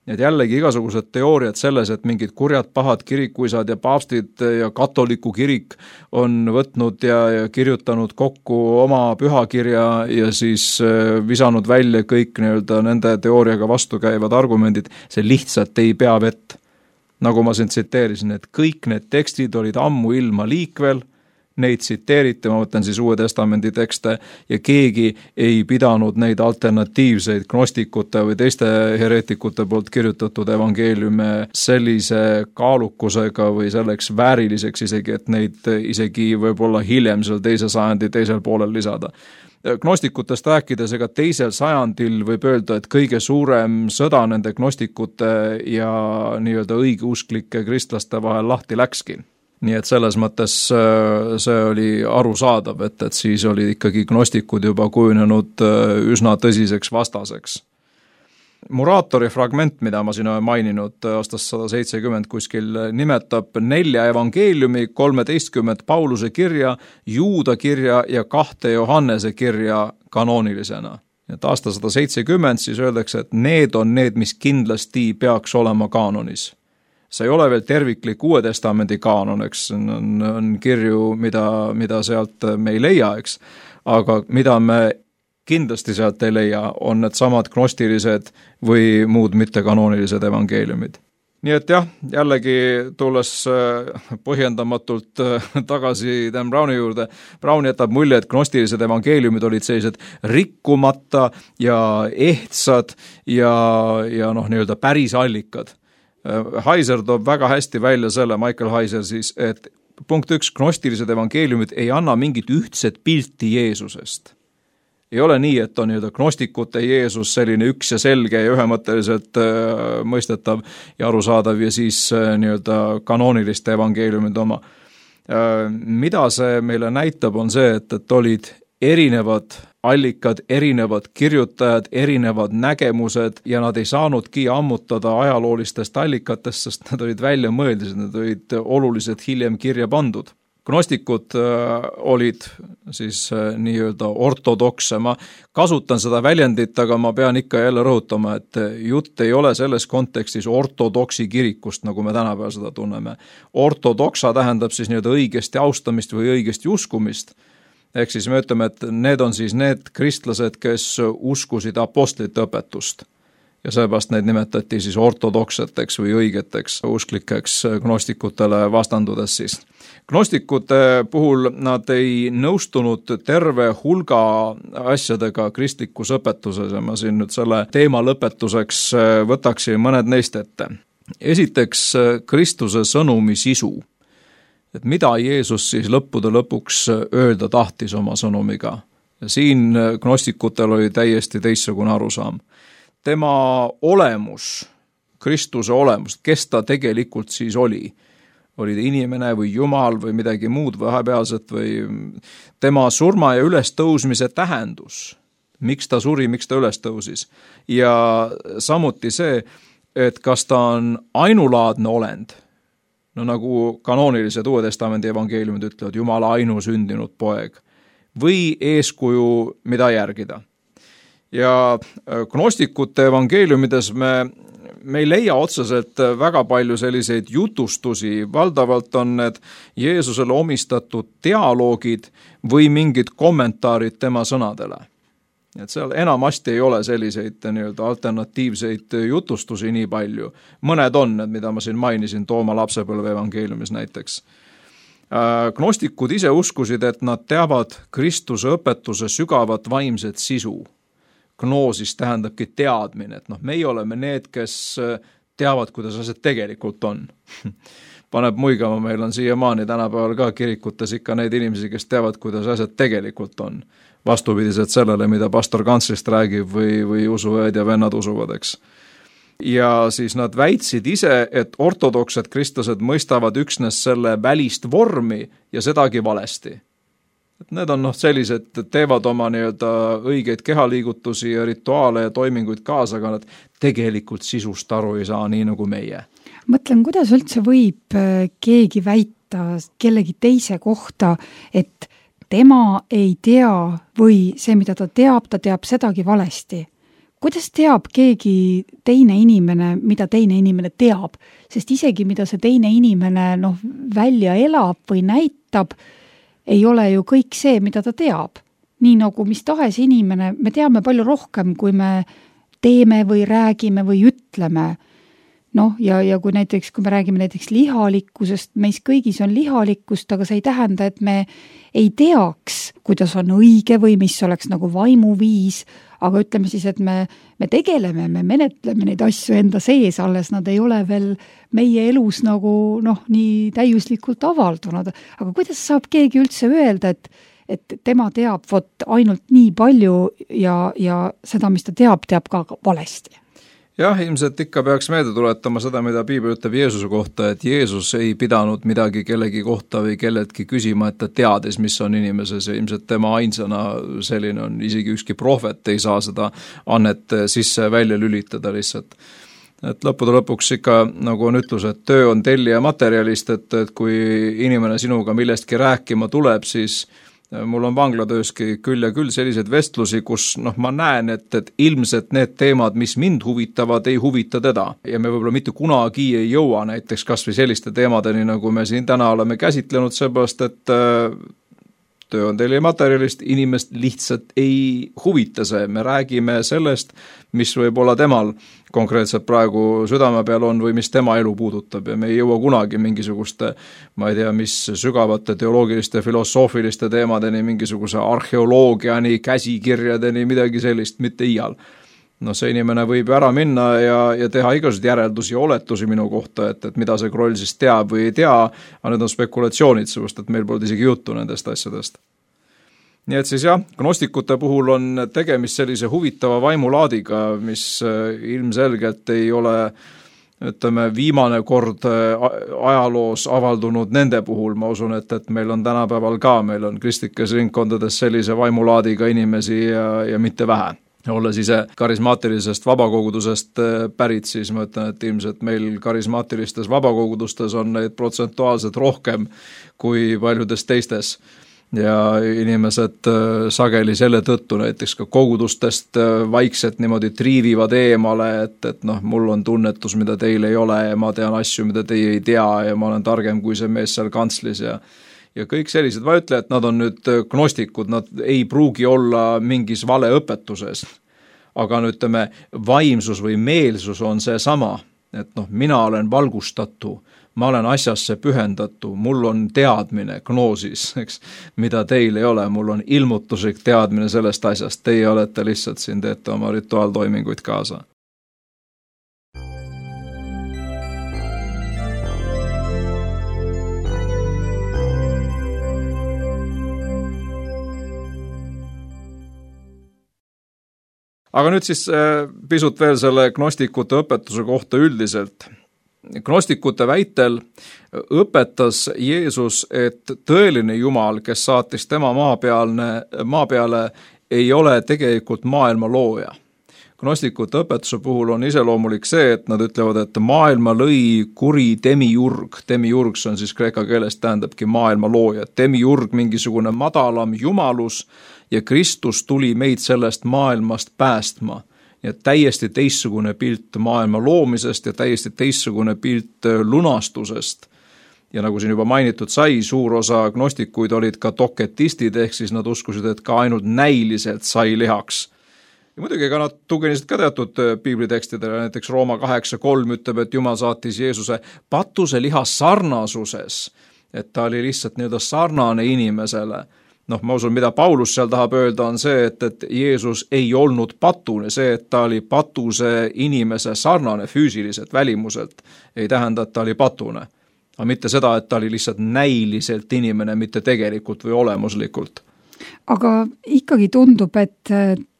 Speaker 3: Et jällegi igasugused teooriad selles, et mingid kurjad pahad kirikuisad ja paavstid ja katoliku kirik on võtnud ja kirjutanud kokku oma pühakirja ja siis visanud välja kõik nende teooriaga vastukäivad argumendid, see lihtsalt ei pea vett. Nagu ma siin tsiteerisin, et kõik need tekstid olid ammu ilma liikvel, neid tsiteeriti, ma võtan siis Uue Testamendi tekste, ja keegi ei pidanud neid alternatiivseid gnostikute või teiste hereetikute poolt kirjutatud evangeeliume sellise kaalukusega või selleks vääriliseks isegi, et neid isegi võib-olla hiljem seal 2. sajandi teisel poolel lisada. Gnostikutest rääkides, ega 2. sajandil võib öelda, et kõige suurem sõda nende gnostikute ja nii-öelda õigeusklike kristlaste vahel lahti läkski. Nii et selles mõttes see oli arusaadav, et siis oli ikkagi gnostikud juba kujunenud üsna tõsiseks vastaseks. Muraatori fragment, mida ma siin olen maininud aastast 170 kuskil, nimetab 4 evangeeliumi, 13 Pauluse kirja, Juuda kirja ja 2 Johannese kirja kanoonilisena. Et aasta 170 siis öeldakse, et need on need, mis kindlasti peaks olema kaanonis. see ei ole veel terviklik Uue Testamendi kaanon, eks, on kirju, mida sealt me ei leia, eks, aga mida me kindlasti sealt ei leia, on need samad gnostilised või muud mittekanoonilised evangeeliumid. Nii et jah, jällegi tulles põhjendamatult tagasi Dan Browni juurde, Brown jätab mulje, et gnostilised evangeeliumid olid sellised rikkumata ja ehtsad ja nii-öelda päris allikad. Heiser toob väga hästi välja selle, Michael Heiser siis, et punkt 1, gnostilised evangeeliumid ei anna mingit ühtset pilti Jeesusest. Ei ole nii, et on nii-öelda gnostikute Jeesus selline üks ja selge ja ühemõtteliselt mõistetav ja arusaadav ja siis nii-öelda kanooniliste evangeeliumide oma. Mida see meile näitab, on see, et olid erinevad allikad, erinevad kirjutajad, erinevad nägemused ja nad ei saanudki ammutada ajaloolistest allikatest, sest nad olid välja mõeldised, nad olid oluliselt hiljem kirja pandud. Gnostikud olid siis nii-öelda ortodokse, ma kasutan seda väljendit, aga ma pean ikka jälle rõhutama, et jutt ei ole selles kontekstis ortodoksi kirikust, nagu me tänapäeval seda tunneme. Ortodoksa tähendab siis nii-öelda õigesti austamist või õigesti uskumist. Ehk siis me ütleme, et need on siis need kristlased, kes uskusid apostlite õpetust. Ja seepärast neid nimetati siis ortodokseteks või õigeteks usklikeks gnostikutele vastandudes siis. Gnostikute puhul nad ei nõustunud terve hulga asjadega kristlikus õpetuses ja ma siin nüüd selle teema lõpetuseks võtaksin mõned neist ette. Esiteks Kristuse sõnumi sisu. Et mida Jeesus siis lõppude lõpuks öelda tahtis oma sõnumiga. Ja siin gnostikutel oli täiesti teistsugune arusaam. Tema olemus, Kristuse olemus, kes ta tegelikult siis oli ta inimene või Jumal või midagi muud vahepealset või tema surma ja ülestõusmise tähendus, miks ta suri, miks ta ülestõusis. Ja samuti see, et kas ta on ainulaadne olend, no nagu kanoonilised Uue Testamendi evangeeliumid ütlevad, Jumala ainusündinud poeg, või eeskuju, mida järgida. Ja gnostikute evangeeliumides me ei leia otseselt väga palju selliseid jutustusi, valdavalt on need Jeesusele omistatud dialoogid või mingid kommentaarid tema sõnadele. Et seal enamasti ei ole selliseid nii-öelda alternatiivseid jutustusi nii palju. Mõned on need, mida ma siin mainisin, Tooma lapsepõlve evangeeliumis näiteks. Gnostikud ise uskusid, et nad teavad Kristuse õpetuse sügavat vaimset sisu. Gnoosis tähendabki teadmine, et meie oleme need, kes teavad, kuidas asjad tegelikult on. Paneb muigama, meil on siiamaani tänapäeval ka kirikutes ikka neid inimesi, kes teavad, kuidas asjad tegelikult on. Vastupidiselt sellele, mida pastor kanslist räägib või usuõed ja vennad usuvad, eks. Ja siis nad väitsid ise, et ortodoksed kristlased mõistavad üksnes selle välist vormi ja sedagi valesti. Need on sellised, teevad oma nii-öelda õigeid kehaliigutusi ja rituaale ja toiminguid kaasa, aga nad tegelikult sisust aru ei saa nii nagu meie.
Speaker 2: Mõtlen, kuidas üldse võib keegi väita kellegi teise kohta, et tema ei tea või see, mida ta teab sedagi valesti. Kuidas teab keegi teine inimene, mida teine inimene teab? Sest isegi mida see teine inimene välja elab või näitab, ei ole ju kõik see, mida ta teab. Nii nagu mis tahes inimene, me teame palju rohkem, kui me teeme või räägime või ütleme. Ja kui me räägime näiteks lihalikkusest, meis kõigis on lihalikkust, aga see ei tähenda, et me ei teaks, kuidas on õige või mis oleks nagu vaimuviis, aga ütleme siis, et me tegeleme, me menetleme neid asju enda sees, alles nad ei ole veel meie elus nagu nii täiuslikult avaldunud. Aga kuidas saab keegi üldse öelda, et tema teab ainult nii palju ja seda, mis ta teab ka valesti?
Speaker 3: Jah, ilmselt ikka peaks meelde tuletama seda, mida Piibel ütleb Jeesuse kohta, et Jeesus ei pidanud midagi kellegi kohta või kelletki küsima, et ta teadis, mis on inimeses ja ilmselt tema ainsana selline on, isegi ükski prohvet ei saa seda annet sisse välja lülitada lihtsalt. Et lõppude lõpuks ikka, nagu on ütlus, et töö on tellija materjalist, et kui inimene sinuga millestki rääkima tuleb, siis mul on vanglatööski küll ja küll selliseid vestlusi, kus ma näen, et ilmselt need teemad, mis mind huvitavad, ei huvita teda. Ja me võib-olla mitte kunagi ei jõua näiteks kas või selliste teemadeni, nagu me siin täna oleme käsitlenud, seepärast, et töö on teile materjalist, inimest lihtsalt ei huvita see. Me räägime sellest, mis võib olla temal konkreetselt praegu südame peal on või mis tema elu puudutab ja me ei jõua kunagi mingisuguste, ma ei tea, mis sügavate teoloogiliste, filosoofiliste teemadeni, mingisuguse arheoloogiani, käsikirjadeni, midagi sellist, mitte iial. See inimene võib ära minna ja teha igasuguseid järeldusi ja oletusi minu kohta, et mida see Kroll siis teab või ei tea, aga need on spekulatsioonid, sest et meil pole isegi juttu nendest asjadest. Nii et siis jah, gnostikute puhul on tegemist sellise huvitava vaimulaadiga, mis ilmselgelt ei ole, ütleme, viimane kord ajaloos avaldunud nende puhul. Ma usun, et meil on tänapäeval ka, meil on kristlikes ringkondades sellise vaimulaadiga inimesi ja mitte vähe. Olles ise karismaatilisest vabakogudusest pärit, siis ma ütlen, et ilmselt meil karismaatilistes vabakogudustes on neid protsentuaalselt rohkem kui paljudes teistes. Ja inimesed sageli selle tõttu näiteks ka kogudustest vaikselt niimoodi triivivad eemale, et mul on tunnetus, mida teil ei ole ja ma tean asju, mida teie ei tea ja ma olen targem kui see mees seal kantslis ja kõik sellised, ma ütlen, et nad on nüüd gnostikud, nad ei pruugi olla mingis valeõpetuses, aga ütleme, vaimsus või meelsus on see sama, et mina olen valgustatu, ma olen asjasse pühendatu, mul on teadmine, gnoosis, eks, mida teil ei ole, mul on ilmutuslik teadmine sellest asjast, teie olete lihtsalt siin, teete oma rituaaltoiminguid kaasa. Aga nüüd siis pisut veel selle gnostikute õpetuse kohta üldiselt. Gnostikute väitel õpetas Jeesus, et tõeline Jumal, kes saatis tema maa peale, ei ole tegelikult maailma looja. Gnostikute õpetuse puhul on iseloomulik see, et nad ütlevad, et maailma lõi kuri demiurg. Demiurg on siis kreeka keeles tähendabki maailma looja. Demiurg mingisugune madalam jumalus ja Kristus tuli meid sellest maailmast päästma. Ja täiesti teistsugune pilt maailma loomisest ja täiesti teistsugune pilt lunastusest. Ja nagu siin juba mainitud sai, suur osa gnostikuid olid ka doketistid, ehk siis nad uskusid, et ka ainult näiliselt sai lihaks. Ja muidugi ka nad tuginesid ka teatud piiblitekstidele, näiteks Rooma 8.3 ütleb, et Jumal saatis Jeesuse patuse liha sarnasuses, et ta oli lihtsalt sarnane inimesele. Ma usun, mida Paulus seal tahab öelda, on see, et Jeesus ei olnud patune, see, et ta oli patuse inimese sarnane füüsiliselt, välimuselt, ei tähenda, et ta oli patune. Aga mitte seda, et ta oli lihtsalt näiliselt inimene, mitte tegelikult või olemuslikult.
Speaker 2: Aga ikkagi tundub, et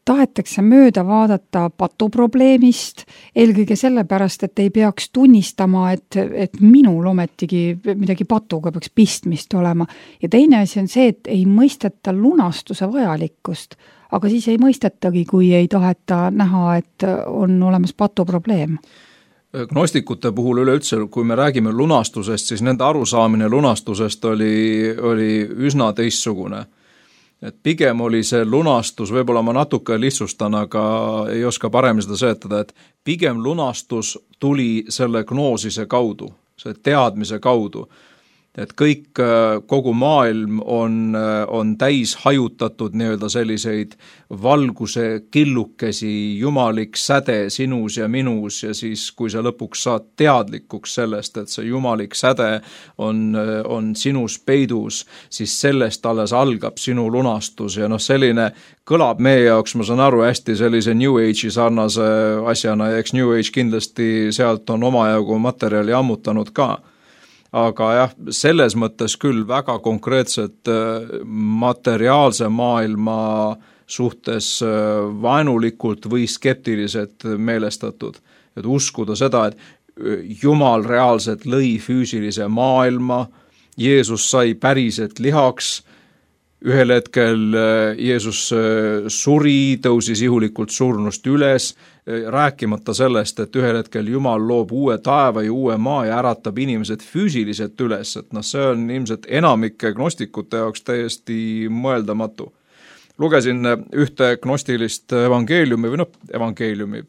Speaker 2: tahetakse mööda vaadata patuprobleemist, eelkõige sellepärast, et ei peaks tunnistama, et minul ometigi midagi patuga peaks pistmist olema. Ja teine asi on see, et ei mõisteta lunastuse vajalikkust, aga siis ei mõistetagi, kui ei taheta näha, et on olemas patuprobleem.
Speaker 3: Gnostikute puhul üleüldse, kui me räägime lunastusest, siis nende arusaamine lunastusest oli üsna teistsugune. Et pigem oli see lunastus, võib-olla ma natuke lihtsustan, aga ei oska paremini seda seletada, et pigem lunastus tuli selle gnoosise kaudu, selle teadmise kaudu. Et kogu maailm on täis hajutatud nii-öelda selliseid valguse killukesi, jumalik säde sinus ja minus ja siis, kui sa lõpuks saad teadlikuks sellest, et see jumalik säde on sinus peidus, siis sellest alles algab sinu lunastus ja selline kõlab meie jaoks, ma saan aru, hästi sellise New Age'i sarnase asjana ja eks New Age kindlasti sealt on omajagu materjali ammutanud ka. Aga jah, selles mõttes küll väga konkreetselt materiaalse maailma suhtes vaenulikult või skeptiliselt meelestatud. Et uskuda seda, et Jumal reaalselt lõi füüsilise maailma, Jeesus sai päriselt lihaks, ühel hetkel Jeesus suri, tõusis ihulikult surnust üles, rääkimata sellest, et ühel hetkel Jumal loob uue taeva ja uue maa ja äratab inimesed füüsiliselt üles, et see on ilmselt enamike gnostikute jaoks täiesti mõeldamatu. Lugesin ühte gnostilist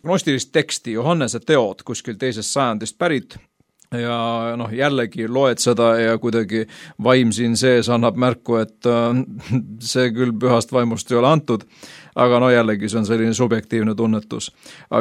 Speaker 3: gnostilist teksti, Johannese teod, kuskil 2. sajandist pärit, ja jällegi loed seda ja kuidagi vaim siin sees annab märku, et see küll pühast vaimust ei ole antud, aga jällegi see on selline subjektiivne tunnetus.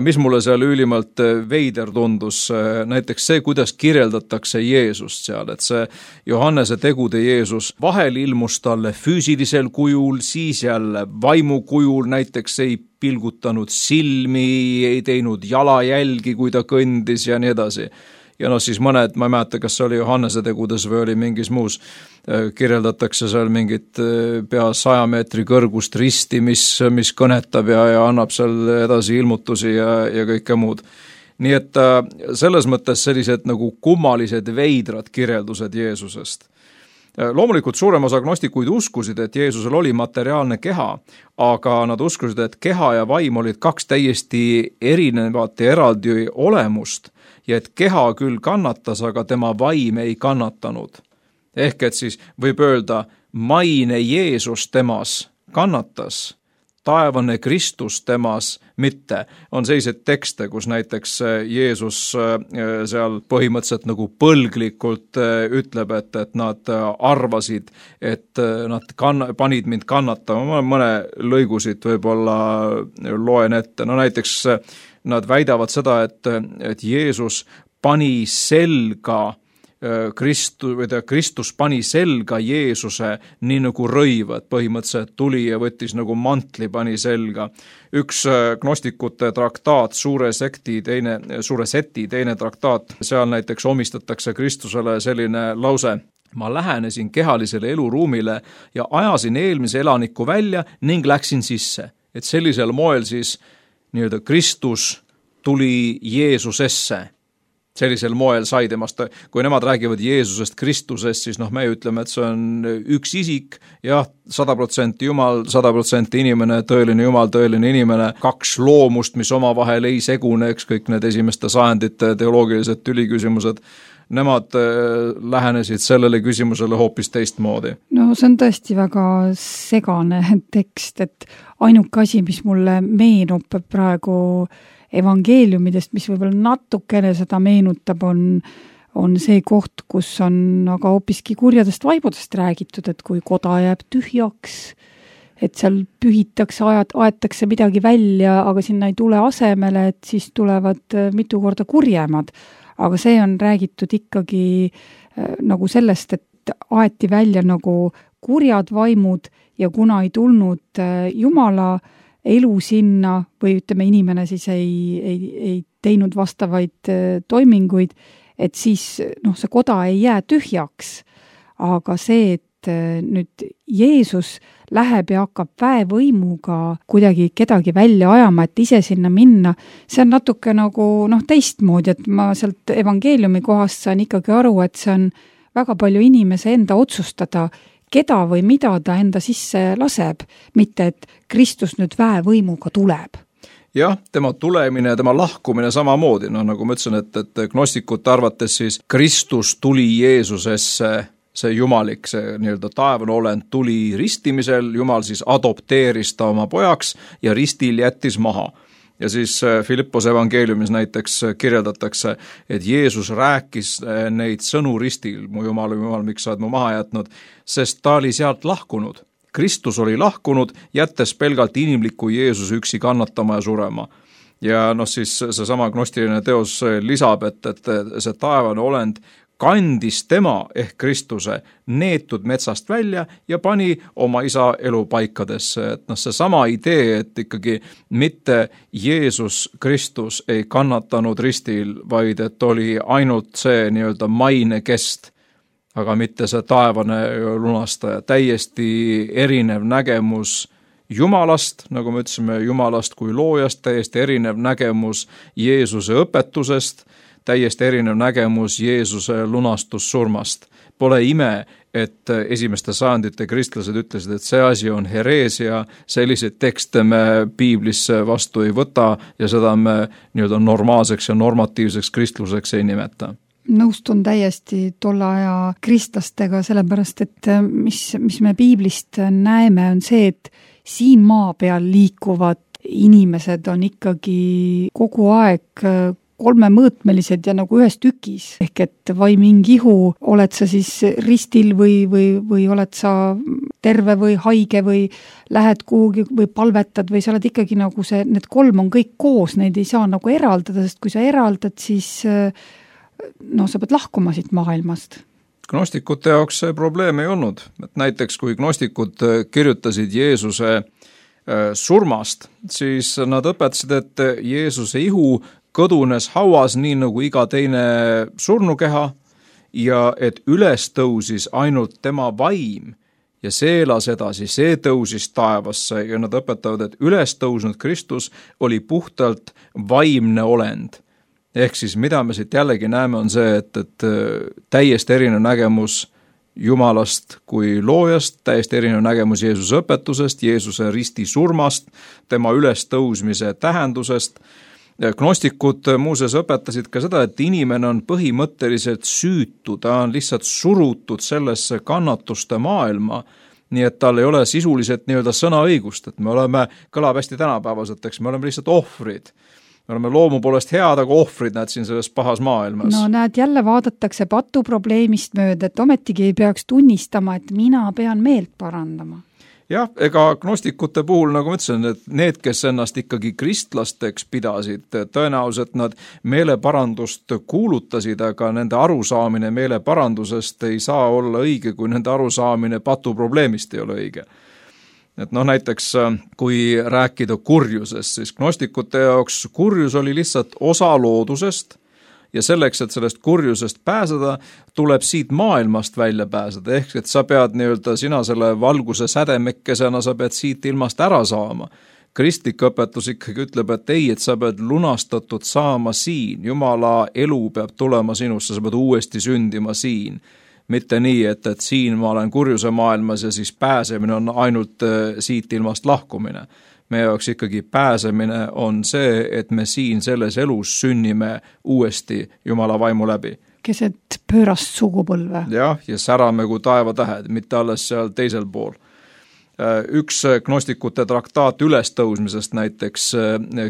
Speaker 3: Mis mulle seal ülimalt veider tundus, näiteks see, kuidas kirjeldatakse Jeesust seal, et see Johannese tegude Jeesus vahel ilmus talle füüsilisel kujul, siis jälle vaimu kujul, näiteks ei pilgutanud silmi, ei teinud jalajälgi, kui ta kõndis ja nii edasi. Ja siis mõned, ma ei mäleta, kas see oli Johannese tegudes või oli mingis muus, kirjeldatakse seal mingit pea 100 meetri kõrgust risti, mis kõnetab ja annab seal edasi ilmutusi ja kõike muud. Nii et selles mõttes sellised nagu kummalised veidrad kirjeldused Jeesusest. Loomulikult suurem osa gnostikuid uskusid, et Jeesusel oli materiaalne keha, aga nad uskusid, et keha ja vaim olid 2 täiesti erinevat ja eraldi olemust ja et keha küll kannatas, aga tema vaim ei kannatanud. Ehk et siis võib öelda, maine Jeesus temas kannatas, taevane Kristus temas mitte. On sellised tekste, kus näiteks Jeesus seal põhimõtteliselt nagu põlglikult ütleb, et nad arvasid, et nad panid mind kannatama. Ma mõne lõigusid võib-olla loen ette. Näiteks nad väidavad seda, et Jeesus pani selga Kristus pani selga Jeesuse nii nagu rõivad, põhimõtteliselt tuli ja võttis nagu mantli, pani selga. Üks gnostikute traktaat, Suure Seti teine traktaat, seal näiteks omistatakse Kristusele selline lause: ma lähenesin kehalisele eluruumile ja ajasin eelmise elaniku välja ning läksin sisse. Et sellisel moel siis nii-öelda Kristus tuli Jeesusesse. Sellisel moel sai temast, kui nemad räägivad Jeesusest Kristusest, siis me ütleme, et see on üks isik, jah, 100% Jumal, 100% inimene, tõeline Jumal, tõeline inimene, 2 loomust, mis omavahel ei segune, kõik need esimeste sajandite teoloogilised tüliküsimused, nemad lähenesid sellele küsimusele hoopis teistmoodi.
Speaker 2: No see on tõesti väga segane tekst, et ainuke asi, mis mulle meenub praegu evangeeliumidest, mis võib-olla natukene seda meenutab, on see koht, kus on aga hoopiski kurjadest vaimudest räägitud, et kui koda jääb tühjaks, et seal pühitakse, aetakse midagi välja, aga sinna ei tule asemele, et siis tulevad mitu korda kurjemad. Aga see on räägitud ikkagi nagu sellest, et aeti välja nagu kurjad vaimud ja kuna ei tulnud Jumala elu sinna või ütleme, inimene siis ei teinud vastavaid toiminguid, et siis see koda ei jää tühjaks. Aga see, et nüüd Jeesus läheb ja hakkab väevõimuga kuidagi kedagi välja ajama, et ise sinna minna, see on natuke nagu teistmoodi, et ma sealt evangeeliumi kohast saan ikkagi aru, et see on väga palju inimese enda otsustada, keda või mida ta enda sisse laseb, mitte et Kristus nüüd väevõimuga tuleb.
Speaker 3: Jah, tema tulemine ja tema lahkumine samamoodi, nagu ma ütlesin, et gnostikute arvates siis Kristus tuli Jeesusesse, see jumalik, see nii-öelda taevane olend tuli ristimisel, Jumal siis adopteeris ta oma pojaks ja ristil jättis maha. Ja siis Filippose evangeeliumis näiteks kirjeldatakse, et Jeesus rääkis neid sõnu ristil, mu Jumal, miks sa oled mu maha jätnud, sest ta oli sealt lahkunud. Kristus oli lahkunud, jättes pelgalt inimliku Jeesuse üksi kannatama ja surema. Ja siis seesama gnostiline teos lisab, et see taevane olend kandis tema ehk Kristuse neetud metsast välja ja pani oma isa elu paikadesse. Et see sama idee, et ikkagi mitte Jeesus Kristus ei kannatanud ristil, vaid et oli ainult see nii-öelda maine kest, aga mitte see taevane lunastaja. Täiesti erinev nägemus Jumalast, nagu me ütlesime, Jumalast kui loojast, täiesti erinev nägemus Jeesuse õpetusest, täiesti erinev nägemus Jeesuse lunastussurmast. Pole ime, et esimeste sajandite kristlased ütlesid, et see asi on hereesia, selliseid tekste me piiblisse vastu ei võta ja seda me nii-öelda normaalseks ja normatiivseks kristluseks ei nimeta.
Speaker 2: Nõustun täiesti tolle aja kristlastega, sellepärast et mis me piiblist näeme, on see, et siin maa peal liikuvad inimesed on ikkagi kogu aeg kolmemõõtmelised ja nagu ühes tükis. Ehk et vai mingi ihu, oled sa siis ristil või oled sa terve või haige või lähed kuhugi või palvetad või sa oled ikkagi nagu see, need kolm on kõik koos, neid ei saa nagu eraldada, sest kui sa eraldad, siis sa pead lahkuma siit maailmast.
Speaker 3: Gnostikute jaoks see probleem ei olnud. Et näiteks kui gnostikud kirjutasid Jeesuse surmast, siis nad õpetasid, et Jeesuse ihu kõdunes hauas nii nagu iga teine surnukeha ja et üles tõusis ainult tema vaim ja see elas edasi, see tõusis taevasse ja nad õpetavad, et üles tõusnud Kristus oli puhtalt vaimne olend. Ehk siis mida me siit jällegi näeme on see, et täiesti erinev nägemus Jumalast kui loojast, täiesti erinev nägemus Jeesuse õpetusest, Jeesuse risti surmast, tema ülestõusmise tähendusest. Gnostikud muuseas õpetasid ka seda, et inimene on põhimõtteliselt süütu, ta on lihtsalt surutud sellesse kannatuste maailma, nii et tal ei ole sisuliselt nii-öelda sõnaõigust, et me oleme, kõlab hästi tänapäevaselt, eks me oleme lihtsalt ohvrid. Me oleme loomu poolest head, aga ohvrid näed siin selles pahas maailmas.
Speaker 2: No näed, jälle vaadatakse patu probleemist mööda, et ometigi ei peaks tunnistama, et mina pean meelt parandama.
Speaker 3: Jah, ega gnostikute puhul, nagu ma ütlesin, et need, kes ennast ikkagi kristlasteks pidasid, tõenäoliselt nad meeleparandust kuulutasid, aga nende arusaamine meeleparandusest ei saa olla õige, kui nende arusaamine patu probleemist ei ole õige. Et näiteks kui rääkida kurjusest, siis gnostikute jaoks kurjus oli lihtsalt osa loodusest ja selleks, et sellest kurjusest pääseda, tuleb siit maailmast välja pääseda, ehk et sa pead nii-öelda sina selle valguse sädemekkesena, sa pead siit ilmast ära saama. Kristlik õpetus ikkagi ütleb, et ei, et sa pead lunastatud saama siin, Jumala elu peab tulema sinusse, sa pead uuesti sündima siin. Mitte nii, et siin ma olen kurjuse maailmas ja siis pääsemine on ainult siit ilmast lahkumine. Meie jaoks ikkagi pääsemine on see, et me siin selles elus sünnime uuesti Jumala vaimu läbi.
Speaker 2: Keset pöörast sugupõlve.
Speaker 3: Jah, ja särame kui taevatähed, mitte alles seal teisel pool. Üks gnostikute traktaat ülestõusmisest näiteks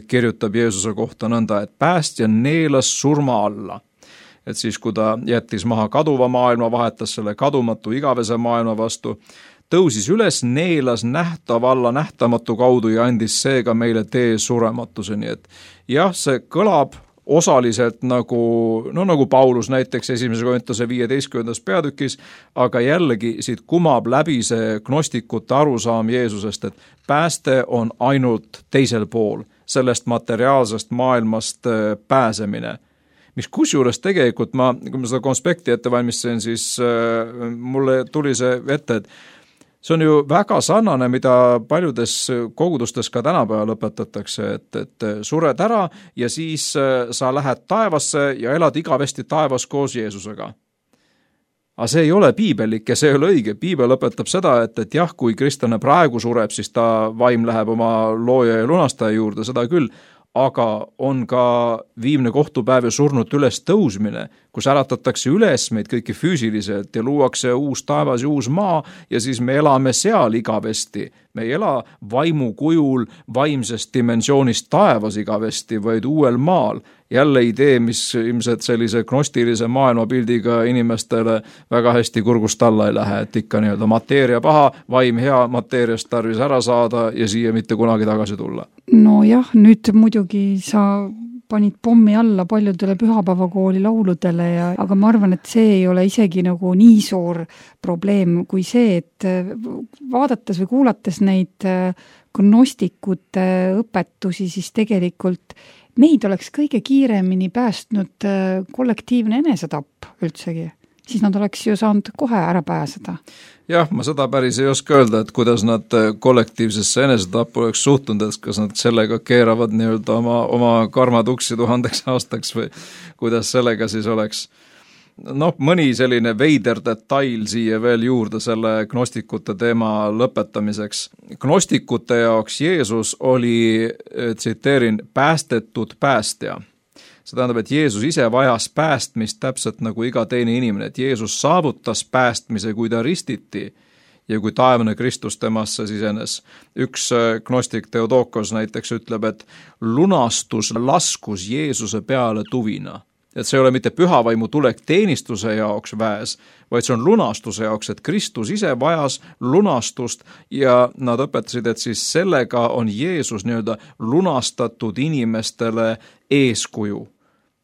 Speaker 3: kirjutab Jeesuse kohta nõnda, et päästja neelas surma alla. Et siis, kui ta jättis maha kaduva maailma, vahetas selle kadumatu igavese maailma vastu, tõusis üles, neelas nähtavalla nähtamatu kaudu ja andis seega meile tee surematuseni. Et jah, see kõlab osaliselt nagu Paulus näiteks 1. Korintuse 15. peatükis, aga jällegi siit kumab läbi see gnostikute arusaam Jeesusest, et pääste on ainult teisel pool, sellest materiaalsest maailmast pääsemine. Mis kusjuures tegelikult kui ma seda konspekti ette valmistasin, siis mulle tuli see ette, et see on ju väga sarnane, mida paljudes kogudustes ka tänapäeval õpetatakse, et sured ära ja siis sa lähed taevasse ja elad igavesti taevas koos Jeesusega. Aga see ei ole piibelik ja see ei ole õige. Piibel õpetab seda, et jah, kui kristlane praegu sureb, siis ta vaim läheb oma looja ja lunastaja juurde, seda küll, aga on ka viimne kohtupäev ja surnut üles tõusmine, kus äratatakse üles meid kõiki füüsiliselt ja luuakse uus taevas ja uus maa ja siis me elame seal igavesti. Me ei ela vaimu kujul vaimsest dimensioonist taevas igavesti, vaid uuel maal. Jälle idee, mis ilmselt sellise gnostilise maailmapildiga inimestele väga hästi kurgust alla ei lähe, et ikka nii-öelda mateeria paha, vaim hea, mateeriast tarvis ära saada ja siia mitte kunagi tagasi tulla.
Speaker 2: No jah, nüüd muidugi sa panid pommi alla paljudele pühapäevakooli lauludele, aga ma arvan, et see ei ole isegi nagu nii suur probleem kui see, et vaadates või kuulates neid gnostikute õpetusi, siis tegelikult meid oleks kõige kiiremini päästnud kollektiivne enesetapp üldsegi. Siis nad oleks ju saanud kohe ära pääseda.
Speaker 3: Jah, ma seda päris ei oska öelda, et kuidas nad kollektiivsesse enesetappu oleks suhtunud, et kas nad sellega keeravad nii-öelda oma karmatuksi 1000 aastaks või kuidas sellega siis oleks. mõni selline veider detail siia veel juurde selle gnostikute teema lõpetamiseks. Gnostikute jaoks Jeesus oli, tsiteerin, päästetud päästja. See tähendab, et Jeesus ise vajas päästmist täpselt nagu iga teine inimene, et Jeesus saavutas päästmise, kui ta ristiti ja kui taevane Kristus temasse sisenes. Üks gnostik Theodokos näiteks ütleb, et lunastus laskus Jeesuse peale tuvina. Et see ei ole mitte pühavaimu tulek teenistuse jaoks väes, vaid see on lunastuse jaoks, et Kristus ise vajas lunastust ja nad õpetasid, et siis sellega on Jeesus nii-öelda lunastatud inimestele eeskuju,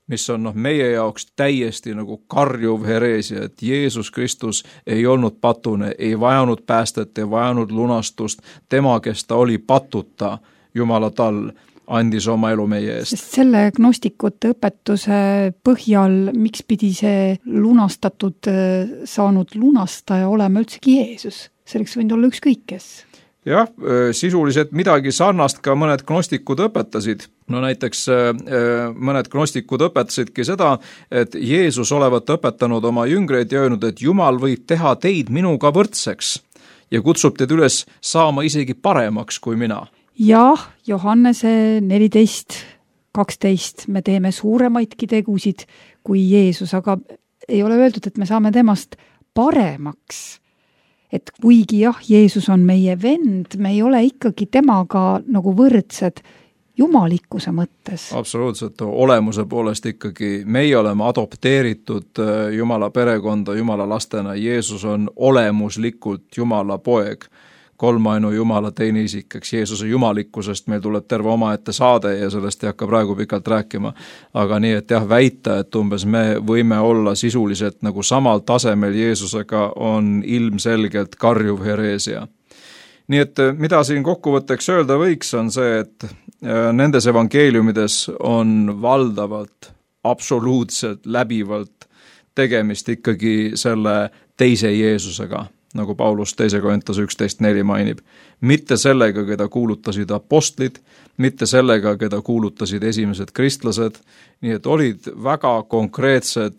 Speaker 3: mis on meie jaoks täiesti nagu karjuv hereesia, et Jeesus Kristus ei olnud patune, ei vajanud päästet, ei vajanud lunastust, tema, kes ta oli patuta Jumala tall, andis oma elu meie eest.
Speaker 2: Sest selle gnostikute õpetuse põhjal, miks pidi see lunastatud saanud lunastaja olema üldsegi Jeesus? Selleks võinud olla ükskõik kes.
Speaker 3: Jah, sisuliselt midagi sarnast ka mõned gnostikud õpetasid. No näiteks mõned gnostikud õpetasidki seda, et Jeesus olevat õpetanud oma jüngreid ja öelnud, et Jumal võib teha teid minuga võrdseks ja kutsub teid üles saama isegi paremaks kui mina.
Speaker 2: Jah, Johannese 14:12 me teeme suuremaidki tegusid kui Jeesus, aga ei ole öeldud, et me saame temast paremaks. Et kuigi jah, Jeesus on meie vend, me ei ole ikkagi temaga nagu võrdsed jumalikkuse mõttes.
Speaker 3: Absoluutselt, olemuse poolest ikkagi meie oleme adopteeritud Jumala perekonda, Jumala lastena. Jeesus on olemuslikult Jumala poeg, kolmainu Jumala teine isik, eks Jeesuse jumalikkusest meil tuleb terve omaette saade ja sellest ei hakka praegu pikalt rääkima. Aga nii, et jah, väita, et umbes me võime olla sisuliselt nagu samal tasemel Jeesusega, on ilmselgelt karjuv hereesia. Nii et mida siin kokkuvõtteks öelda võiks, on see, et nendes evangeeliumides on valdavalt, absoluutselt, läbivalt tegemist ikkagi selle teise Jeesusega, nagu Paulus 2. Korintuse 11:4 mainib. Mitte sellega, keda kuulutasid apostlid, mitte sellega, keda kuulutasid esimesed kristlased, nii et olid väga konkreetsed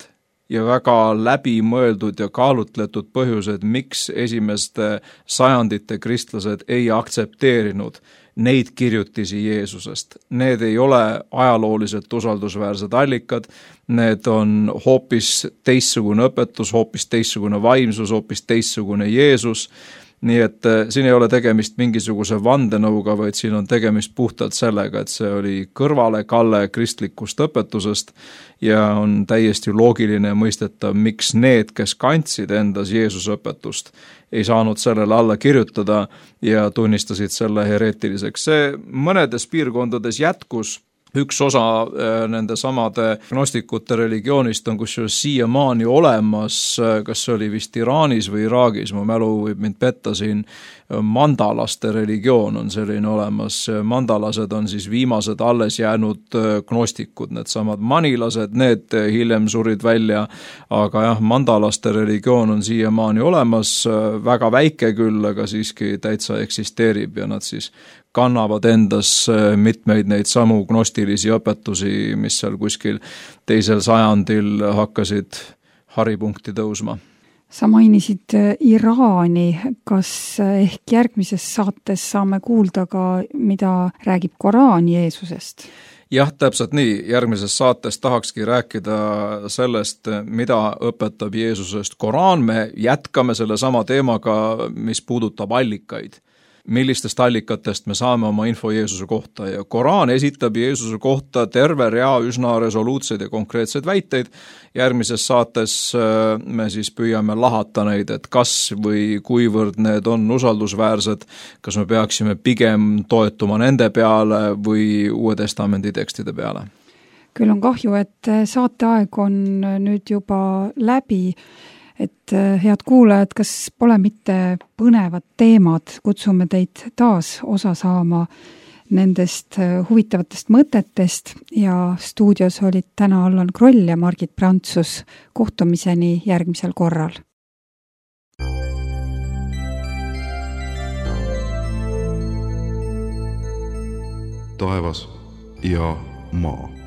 Speaker 3: ja väga läbimõeldud ja kaalutletud põhjused, miks esimeste sajandite kristlased ei aktsepteerinud neid kirjutisi Jeesusest. Need ei ole ajalooliselt usaldusväärsed allikad, need on hoopis teistsugune õpetus, hoopis teistsugune vaimsus, hoopis teistsugune Jeesus. Nii et siin ei ole tegemist mingisuguse vandenõuga, vaid siin on tegemist puhtalt sellega, et see oli kõrvalekalle kristlikust õpetusest ja on täiesti loogiline mõistetav, miks need, kes kandsid endas Jeesuse õpetust, ei saanud sellele alla kirjutada ja tunnistasid selle hereetiliseks. See mõnedes piirkondades jätkus. Üks osa nende samade gnostikute religioonist on kusjuures siiamaani olemas, kas see oli vist Iraanis või Iraagis, mu mälu võib mind petta siin, mandalaste religioon on selline olemas. Mandalased on siis viimased alles jäänud gnostikud, need samad manilased, need hiljem surid välja, aga jah, mandalaste religioon on siiamaani olemas, väga väike küll, aga siiski täitsa eksisteerib ja nad siis kannavad endas mitmeid neid samu gnostilisi õpetusi, mis seal kuskil 2. sajandil hakkasid haripunkti tõusma.
Speaker 2: Sa mainisid Iraani, kas ehk järgmises saates saame kuulda ka, mida räägib Koraan Jeesusest?
Speaker 3: Jah, täpselt nii. Järgmises saates tahakski rääkida sellest, mida õpetab Jeesusest Koraan. Me jätkame selle sama teemaga, mis puudutab allikaid. Millistest allikatest me saame oma info Jeesuse kohta ja Koraan esitab Jeesuse kohta terve rea üsna resoluutseid ja konkreetseid väiteid. Järgmises saates me siis püüame lahata neid, et kas või kuivõrd need on usaldusväärsed, kas me peaksime pigem toetuma nende peale või Uue Testamendi tekstide peale.
Speaker 2: Küll on kahju, et saateaeg on nüüd juba läbi. Et head kuulajad, kas pole mitte põnevad teemad, kutsume teid taas osa saama nendest huvitavatest mõtetest ja stuudios olid täna Allan Kroll ja Margit Prantsus. Kohtumiseni järgmisel korral.
Speaker 1: Taevas ja maa.